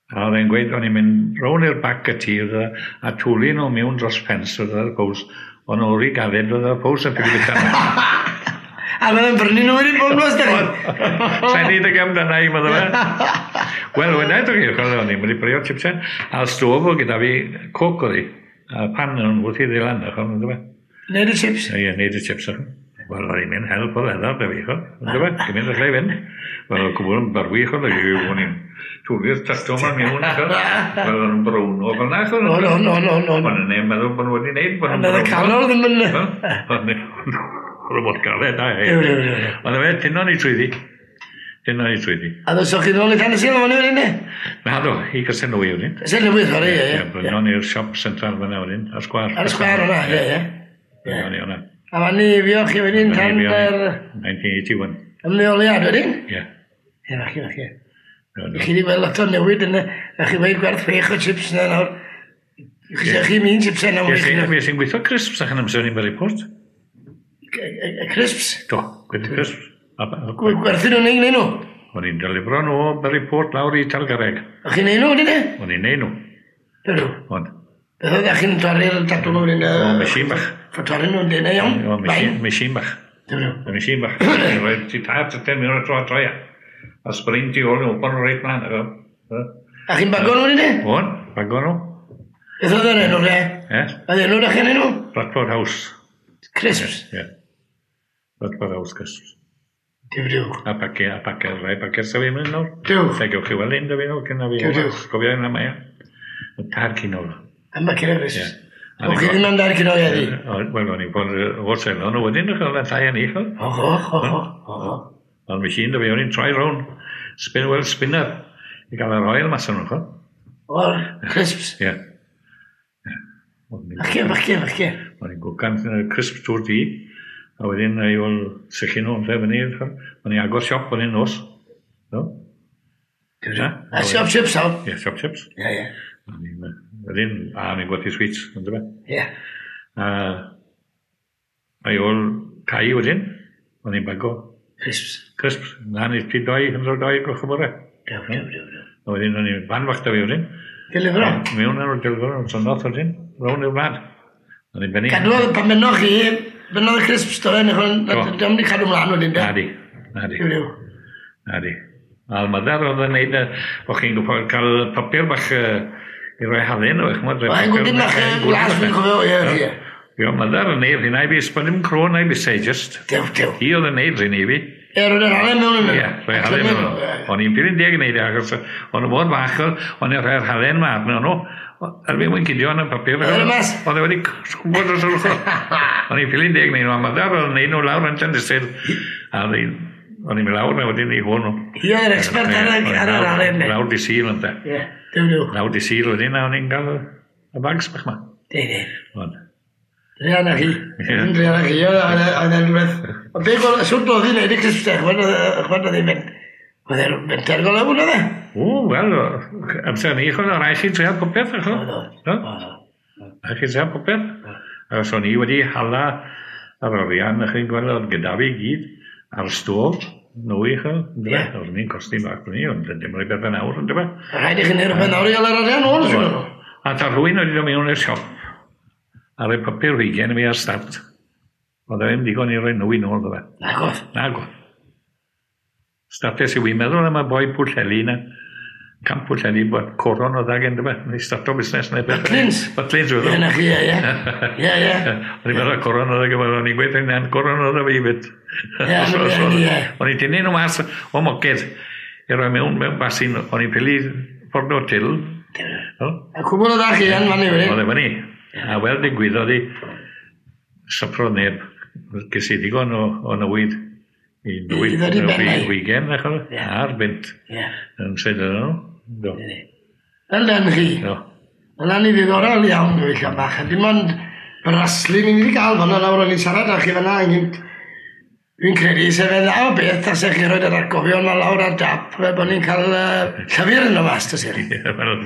A oedd e'n gweud, o'n i'n mynd rown i'r bac y tir a twlu nhw mewn dros ffens oedd y pows. O'n nhw'n rhy galed oedd y pows yn ffili bita. A mae'n brynu nhw wedyn bob nos, da chi? Sa'n neud y gam dyna i, meddwl fe. Wel, wedyn ydych chi, o'n i'n mynd i brynu chipsen. A'r stof o gyda fi, coc oedd hi. A pan yn wrth i ddilan, ydych chi? Neud y chips? Ie, neud y chips. Wel, o'n i'n mynd help o feddwl, da fi, ch'od. On'd yfe? Gymaint allai fynd. Wel, o'dd cwbl yn berwi, ch'od, o'n i'n twli'r tato 'ma mewn, ch'od. Wel, o'n nhw'n browno fel 'na, ch'od. On, on, on, on, on. O'n i'n meddwl bod nhw wedi neud bod nhw'n browno. Ond y canol ddim yn... O'n i'n galed, da, e. Ew, ew, ew. Ond fe, tynnon ni trwyddi. Tynnon ni trwyddi. A ddosoch chi nôl i Tan y Sil o'n i'n ne? Na do, i Gasenwy wedyn. Casnewydd, sori, ie, ie. Brynon ni'r siop central fyna wedyn, ar sgwâr. Ar sgwâr o'na, ie, ie. Brynon ni o'na. A fan ni fio chi wedyn tan yr... 1981. Ymddeoliad wedyn? Ie. Ie, falle, falle. Chi wedi gweld lot o newid yn y... A chi wedi gwerth 6 o chips na nawr. Chi chi mi'n chips yna. Fi sy'n gweithio crisps ac yn amser ni'n Buryport. Crisps? Do, gwerthu crisps. Gwerthu nhw'n neud nhw? O'n i'n delifro nhw o Buryport lawr i Talgarreg. O chi'n neud nhw wedyn e? O'n i'n neud nhw. Dyn nhw? O'n. Beth oedd chi'n torri'r tatw nhw wedyn? O, machine bach. Torri nhw'n denau iawn? O, machine bach. Dyn nhw? Machine bach. Rhaid ti tair tyten mewn y tro a troi a spring ti ôl nhw, bod nhw reit mlaen. A chi'n bago nhw wedyn e? O'n, bago nhw. Beth oedd yr enw re? E? Oedd enw da chi'n enw? Bradford House. Crisps? Ie. Bradford House Crisps. Diw, diw. A pace, a pace, rai pace sef i'n mynd nawr. Diw. Lle gewch chi weld un, da fi nawr, cyn na fi. Diw, diw. Gofio yna mae. Y tar cinol. Am baced o crisps. O, chi ddim am dar cinol heddi? Wel, o'n i'n bod o'r selon o wedyn, o'ch o'n llai yn eich. Och, och, och, och. Ond machine, da fi, o'n i'n troi rown. Spin, well, spinner. I gael yr oil mas o'n nhw. O'r crisps? Ie. Falle, falle, falle. O'n i'n gwcan crisps trwy'r di. A wedyn, i ôl sychu nhw yn lle fyny. O'n i'n agor siop o'n i'n nos. No? A siop chips, o? Ie, siop chips. Ie, ie. Wedyn, a o'n i'n gwerthu sweets, ond dyma. Ie. A i ôl cau wedyn, o'n i'n bago. Crisps. Crisps. Na, ni ti doi, hynod doi gloch y bore. Dew, dew, dew, dew. A wedyn o'n i'n fan fach da fi wedyn. Delifro? Mewn ar o'r delifro, o'n synoth wedyn, rown i'r wlad. O'n i'n benni. Cadwodd pan bennoch chi, bennodd y crisps do fe, neu wedi cadw mlaen wedyn, de? Na di, na di. Dew, dew. Na di. A'r mother oedd yn neud, o'ch chi'n gwybod cael papur bach i roi halen o, ch'mod. Mae'n gwdyn bach glas fi'n cofio, ie, ie. Ie, mother yn neud hynna i fi, sbon ddim crôn na'i bysau, just. Dew, dew. Hi oedd yn neud hynna i fi. Ie, roedd yr halen mewn yna. Ie, rhoi halen mewn. O'n i'n ffilin deg yn neud e, achos o'n nhw mor fach, o'n i'n rhoi'r halen ma arno nhw. Erbyn mwyn cydio yn y papur. Oedd e mas? Oedd e wedi cwbod dros yr ochr. O'n i'n ffilin deg neud nhw, a mother oedd yn neud nhw lawr yn Llandysul. A o'n i'n mynd lawr na wedyn i hwn nhw. Hi oedd yr expert ar yr halen. Lawr di Sul ynte. Ie, dew, dew. Lawr di Sul wedyn, a o'n i'n gael y bags bach ma. De, de. Ond. Druan â chi. Druan â chi, oedd e'n rhywbeth. Ond be gweld, sut oedd hi'n neud y crisps te, chwed oedd hi'n mynd. Oedd e'n fenter go lewn oedd e? O, wel, amser ni, chwed, oedd rhaid chi treial popeth, chwed. Oedd, oedd. Rhaid chi treial popeth. Achos o'n i wedi hala yr arian, chi'n gweld, oedd gyda fi gyd, ar stôl, nwy, chwed. Ie. Oedd ni'n costi bach ni, ond dim rhaid beth yn awr, ond dyma. Rhaid i chi neud rhywbeth nawr i gael yr arian ôl, siŵr. A ta rhywun wedi dod mewn i'r siop, a rhoi papur hugen i fi ar start. Oedd e ddim digon i roi nwy nôl, ddo fe. Nagodd. Nagodd. Startes i wi'n meddwl am y boi Pwllheli na. Camp Pwllheli, bod coron o ddag yn dyma. Ni starto busnes neu beth. Butlins? Butlins, Ie, weddol. na chi, ie, ie. Ie, ie. O'n i'n meddwl coron o ddag, o'n i'n gweud hynna'n coron o ddag fi fyd. Ie, ie. O'n i'n tynnu nhw mas o moced i roi mewn basin, o'n i'n pili ffordd o'r til. A cwbl o dda chi yn fan i wedi. Oedd e fyny. A wel digwyddodd i sypro neb. Ges i ddigon o newid i newid I ddod i ben, wigen, a'r bynt. Yn syd yn nhw. Do. Fel den chi. Do. Wel, ni ddiddorol iawn, gyfeillion bach. A dim ond braslu ni wedi cael fan'na nawr, o'n i'n siarad â chi fan'na ynghynt. Dwi'n credu se fe dda o beth tasech chi roed yr atgofion 'ma lawr ar dap fel bod ni'n cael llyfr yno mas tasech chi. Ie, wel,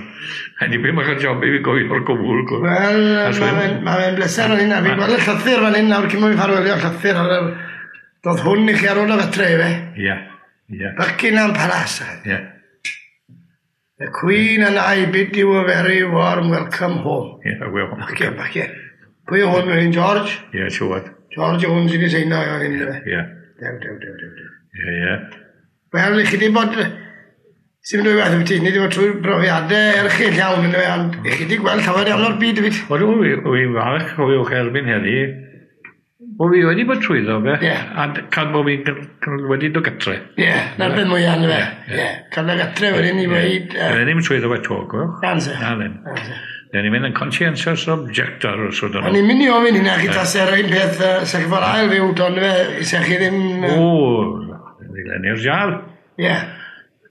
rhaid i fi bach o job i fi gofio'r cwbl. Wel, mae fe'n ma fe bleser o'n hynna. Fi'n gweld y llythyr fan hyn nawr cyn bo fi'n ffarwelio llythyr ar yr... Doedd hwn i chi ar ôl y fetre, ife? Ie, ie. Buckingham Palace. Ie. The Queen and I bid you a very warm welcome home. Ie, wel. Bachgen, bachgen. Pwy yw hwn wedyn, George? Ie, siwad. George yw hwn sydd wedi seino fan hyn, ife? Ie. Dew, dew, dew, dew, dew. Ie, ie. Wel, i chi di bod... Sy'n mynd o'i waith ti, ni wedi bod trwy brofiadau erchyll iawn, yn ond i chi wedi gweld llawer iawn o'r byd hefyd. Wel, wy'n falch o fi'ch erbyn heddi, bo fi wedi bod trwyddo fe, a cael bo fi'n wedi dod gatre. Ie, na'r beth mwyaf, ynddo fe. Ie, cael dod gatre wedyn i weid... Ie, ddim trwyddo fe to, gwch. Anse. Na, ddim. Dyn ni'n mynd yn conscientious objector os ydyn nhw. O'n i'n mynd i ofyn hynna chi tase'r un peth, sech chi fod ail fyw, don fe, sech chi ddim... O, ni'n jar. Ie.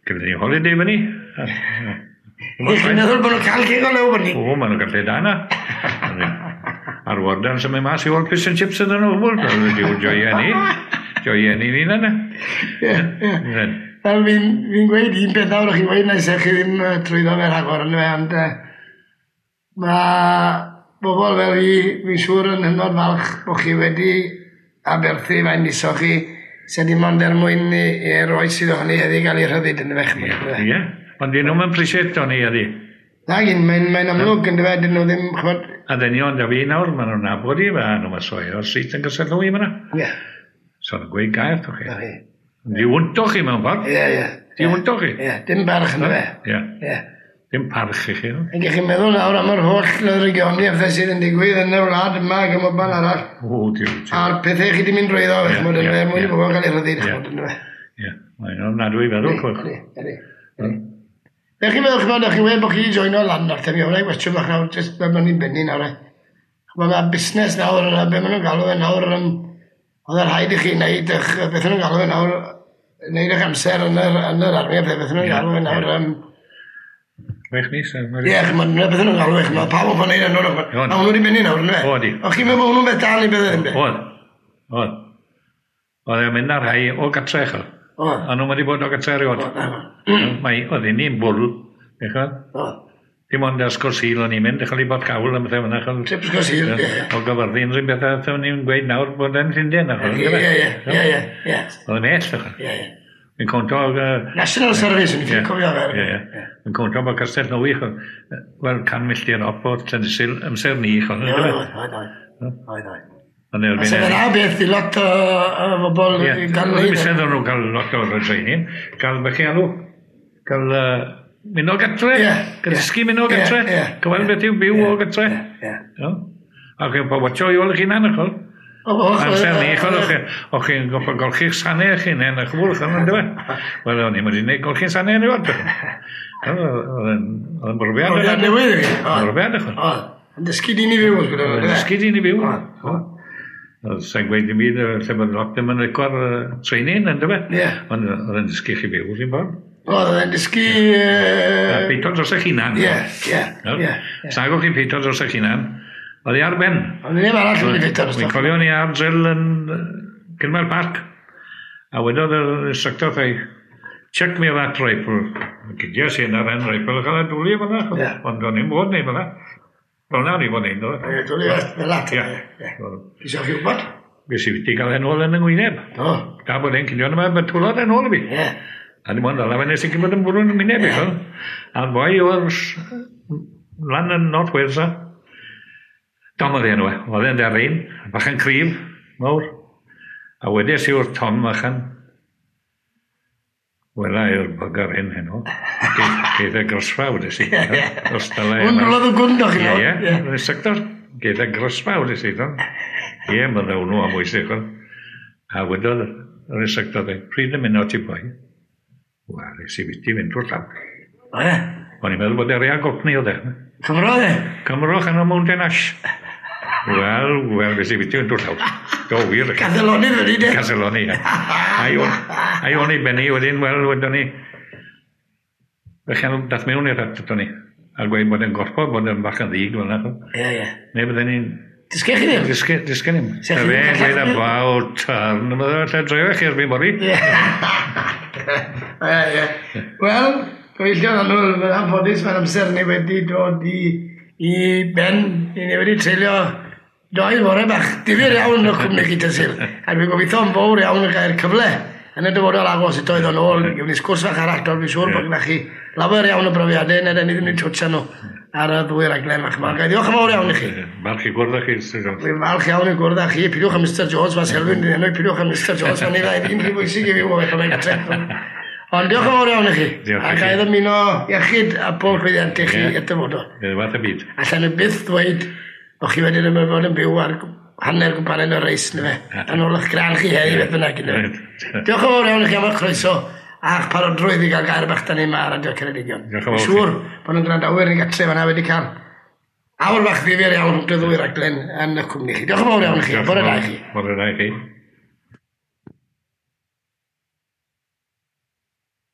Gyda ni holiday fyny. I chi'n meddwl bod nhw'n cael cig o lew fyny? O, maen nhw'n cael lle da yna. A'r warden sy'n mynd mas i ôl fish and chips ydyn nhw. Diw joia ni. Joia ni ni yna. Ie, ie. Wel, fi'n gweud un peth nawr, chi'n gweud na sech chi ddim trwyddo fe rhagor yn fe, ond mae bobl fel fi, fi'n siŵr yn hynod falch bod chi wedi aberthu fain nisoch chi, se dim ond er mwyn i'r oes sydd ohoni heddi gael ei rhyddid yn y fech. Ie, ond dyn nhw'n appreciate o'n i heddi. Na gyn, mae'n amlwg yn dyfe, dyn nhw ddim, ch'mod... A dynion da fi nawr, maen nhw'n nabod i, a nhw'n soio o'r street yn gysylltu i fyna. Ie. So nhw'n gweud gair, toch chi. Na chi. Di wynto chi mewn ffordd. Ie, ie. Di wynto chi. Ie, dim barch yn dyfe. Ie. Ie. Dim parch i chi. Ac chi'n meddwl nawr am yr holl ddrygioni a phethau sydd yn digwydd yn y wlad yma ac ym mhob arall. O, diw, diw. A'r pethau chi wedi mynd drwyddo, fe, ch'mod, yn fe, mwyn i bobl gael ei rhyddid, ch'mod, yn fe. Ie, mae'n ofnadwy i feddwl, ch'mod. Ydy, ydy, ydy. Be chi'n meddwl, ch'mod, chi'n gweud bod chi wedi joino lan nawr, te, mi o'na i gwestiwn bach nawr, jyst fel ma'n ni'n benni nawr, e. Ch'mod, mae busnes nawr, be maen nhw'n galw fe nawr, oedd y rhaid i chi wneud, beth maen nhw'n galw fe nawr, wneud eich amser yn yr armi, a beth maen nhw'n galw fe nawr, 6 mis. Ie, ch'mod, beth nhw'n galw e, ch'mod, pawb o'n gwneud yn nhw'n, a hwnnw wedi mynd nawr, yndyfe? O, di. O, chi'n meddwl bod hwnnw'n beth da neu beth ddim? Oedd, oedd. Oedd e'n mynd ar rhai o gatre, ch'od. Oedd. A nhw'n wedi bod o gatre erioed. Mae, oedd ni'n bwrw, ch'od. Oedd. Dim ond ysgol Sul o'n i'n mynd, ch'od i bod cawl am bethau fyna, ch'od. Trip ysgol Sul, ie. O Gyfyrddin, rhywun beth, a ni'n gweud nawr bod e'n Llundain, ch'od. Ie, ie, ie, ie, ie. Oedd yn well, ch'od. Ie, ie. Fi'n conto... National Service, yn fi'n cofio fe. Ie, ie. Fi'n conto bod Castell Newydd, wel, 100 milltir op o Llandysul, amser ni, ch'od. Oedd, oedd, oedd. Oedd, oedd. A sef yna beth i lot o bobl i gael... Ie, oedd nhw'n cael lot o'r training, gael beth chi alw, gael mynd o gatre, gael dysgu mynd o gatre, gael beth yw byw o gatre. Ie. A chi'n watcho i ôl eich hunan, ch'od. Amser ni, ch'od, o'ch chi'n gorfod golchi'ch sanau eich hunain, a chwbl, ch'od, yndyfe? Wel, o'n i'n mynd i wneud golchi'n sanau erioed. Oedd yn brofiad. Oedd yn newydd i fi. Brofiad, ch'od. Oedd. Yn dysgu dyn i fyw, wrth gwrs. Yn dysgu dyn i fyw. Oedd sa'n gweud dim byd, lle bod lot ddim yn licio'r training, yndyfe? Ie. Ond oedd yn dysgu chi byw, rhywun ffordd. Oedd yn dysgu... Peito dros eich hunan. Ie, ie, ie. Sag o'ch chi'n peito dros eich hunan, oedd hi ar ben. Ond neb arall yn ei ffeito. Fi'n cofio ni ar drill yn Gynmael Park. A wedodd yr instructor wrtha i, check me that rifle. Gydies i yna'r hen rifle, a cael ei dwlu fel yna. Ond o'n i'n bod neu fel yna. Fel yna o'n i'n bod neud. Ie, dwlu fel yna. Ie. Isio chi wybod? Fes i wedi cael e'n ôl yn yng ngwyneb. Do. Da bod e'n cynio yma, mae twlodd e'n ôl i fi. Ie. A dim ond ala fe nes i gyd bod yn bwrw'n ngwyneb i. A'r boi o'r lan yn North Wales a. Tom oedd enw e, oedd e'n deryn, bach yn cryf, mawr. A wedes i wrth Tom achan, wela i'r bugger hyn heno. Geith e grosfa, wedes i. Hwn rwlodd y gwnd o'ch chi nawr. Ie, ie, yn y sector. Geith e grosfa, wedes i. Ie, mae dda hwnnw am oes i. A wedodd yr instructor, pryd yn mynd o ti boi? Wel, es i fynd i fynd drwy'r llaw. O ie? O'n i'n meddwl bod e'n real gopni oedd e. Cymro oedd e? Cymro chan o Mountain Ash. Wel, wel, fes i fynd i fynd drwy'r llaw. Do, wir. Caseloni wedi, de? Caseloni, ie. A o'n i benni wedyn, wel, wedyn ni... Felly, dath mewn i'r at ni. A gweud bod e'n gorfod bod yn bach yn ddig fel yna. Ie, ie. Neu bydden ni'n Dysgech chi ddim? Dysgu ddim. Fe, dweud about turn. Mae lle dreio chi erbyn bori. Ie, ie. Wel, gyfeillion annwyl, mae'n anffodus, mae'r amser ni wedi dod i ben. I ni wedi treulio doi fore bach difyr iawn o cwmni chi Tysil. A dwi'n gobeithio yn fawr iawn y gael cyfle yn y dyfodol agos eto i ddod nôl. Gewn ni sgwrs fach arall, dwi'n siŵr bod gyda chi lawer iawn o brofiadau, neu ni ddim yn twtio nhw ar y ddwy raglen fach yma. Ga i ddiolch yn fawr iawn i chi. Falch i gwrdd â chi, Mr Jones. Dwi'n falch iawn i gwrdd â chi. Pidwch am Mr Jones, mae Selwyn yn enw, pidwch am Mr Jones, mae'n ei ddau ddim rhy bwysig i fi o beth o'n gartre. Ond diolch yn fawr iawn i chi. Diolch A i chi. ga i ddymuno iechyd a pob llwyddiant i chi i'r dyfodol. Ie, fath y byd. Allan i byth ddweud bod chi wedi bod yn byw ar hanner gwmpanen o'r reis, na fe. Yn ôl eich gran chi heddi, beth bynnag. yndyfe. Diolch yn fawr iawn i chi am eich croeso a'ch parodrwydd i gael gair bach da ni yma ar Radio Ceredigion. Diolch yn fawr. Siŵr bod nhw'n gwrandawyr yn gatre fan'na wedi cael awr fach ddifyr iawn rhwng y ddwy raglen yn y cwmni chi. Diolch yn fawr iawn i chi. Bore da i chi. Bore da i chi.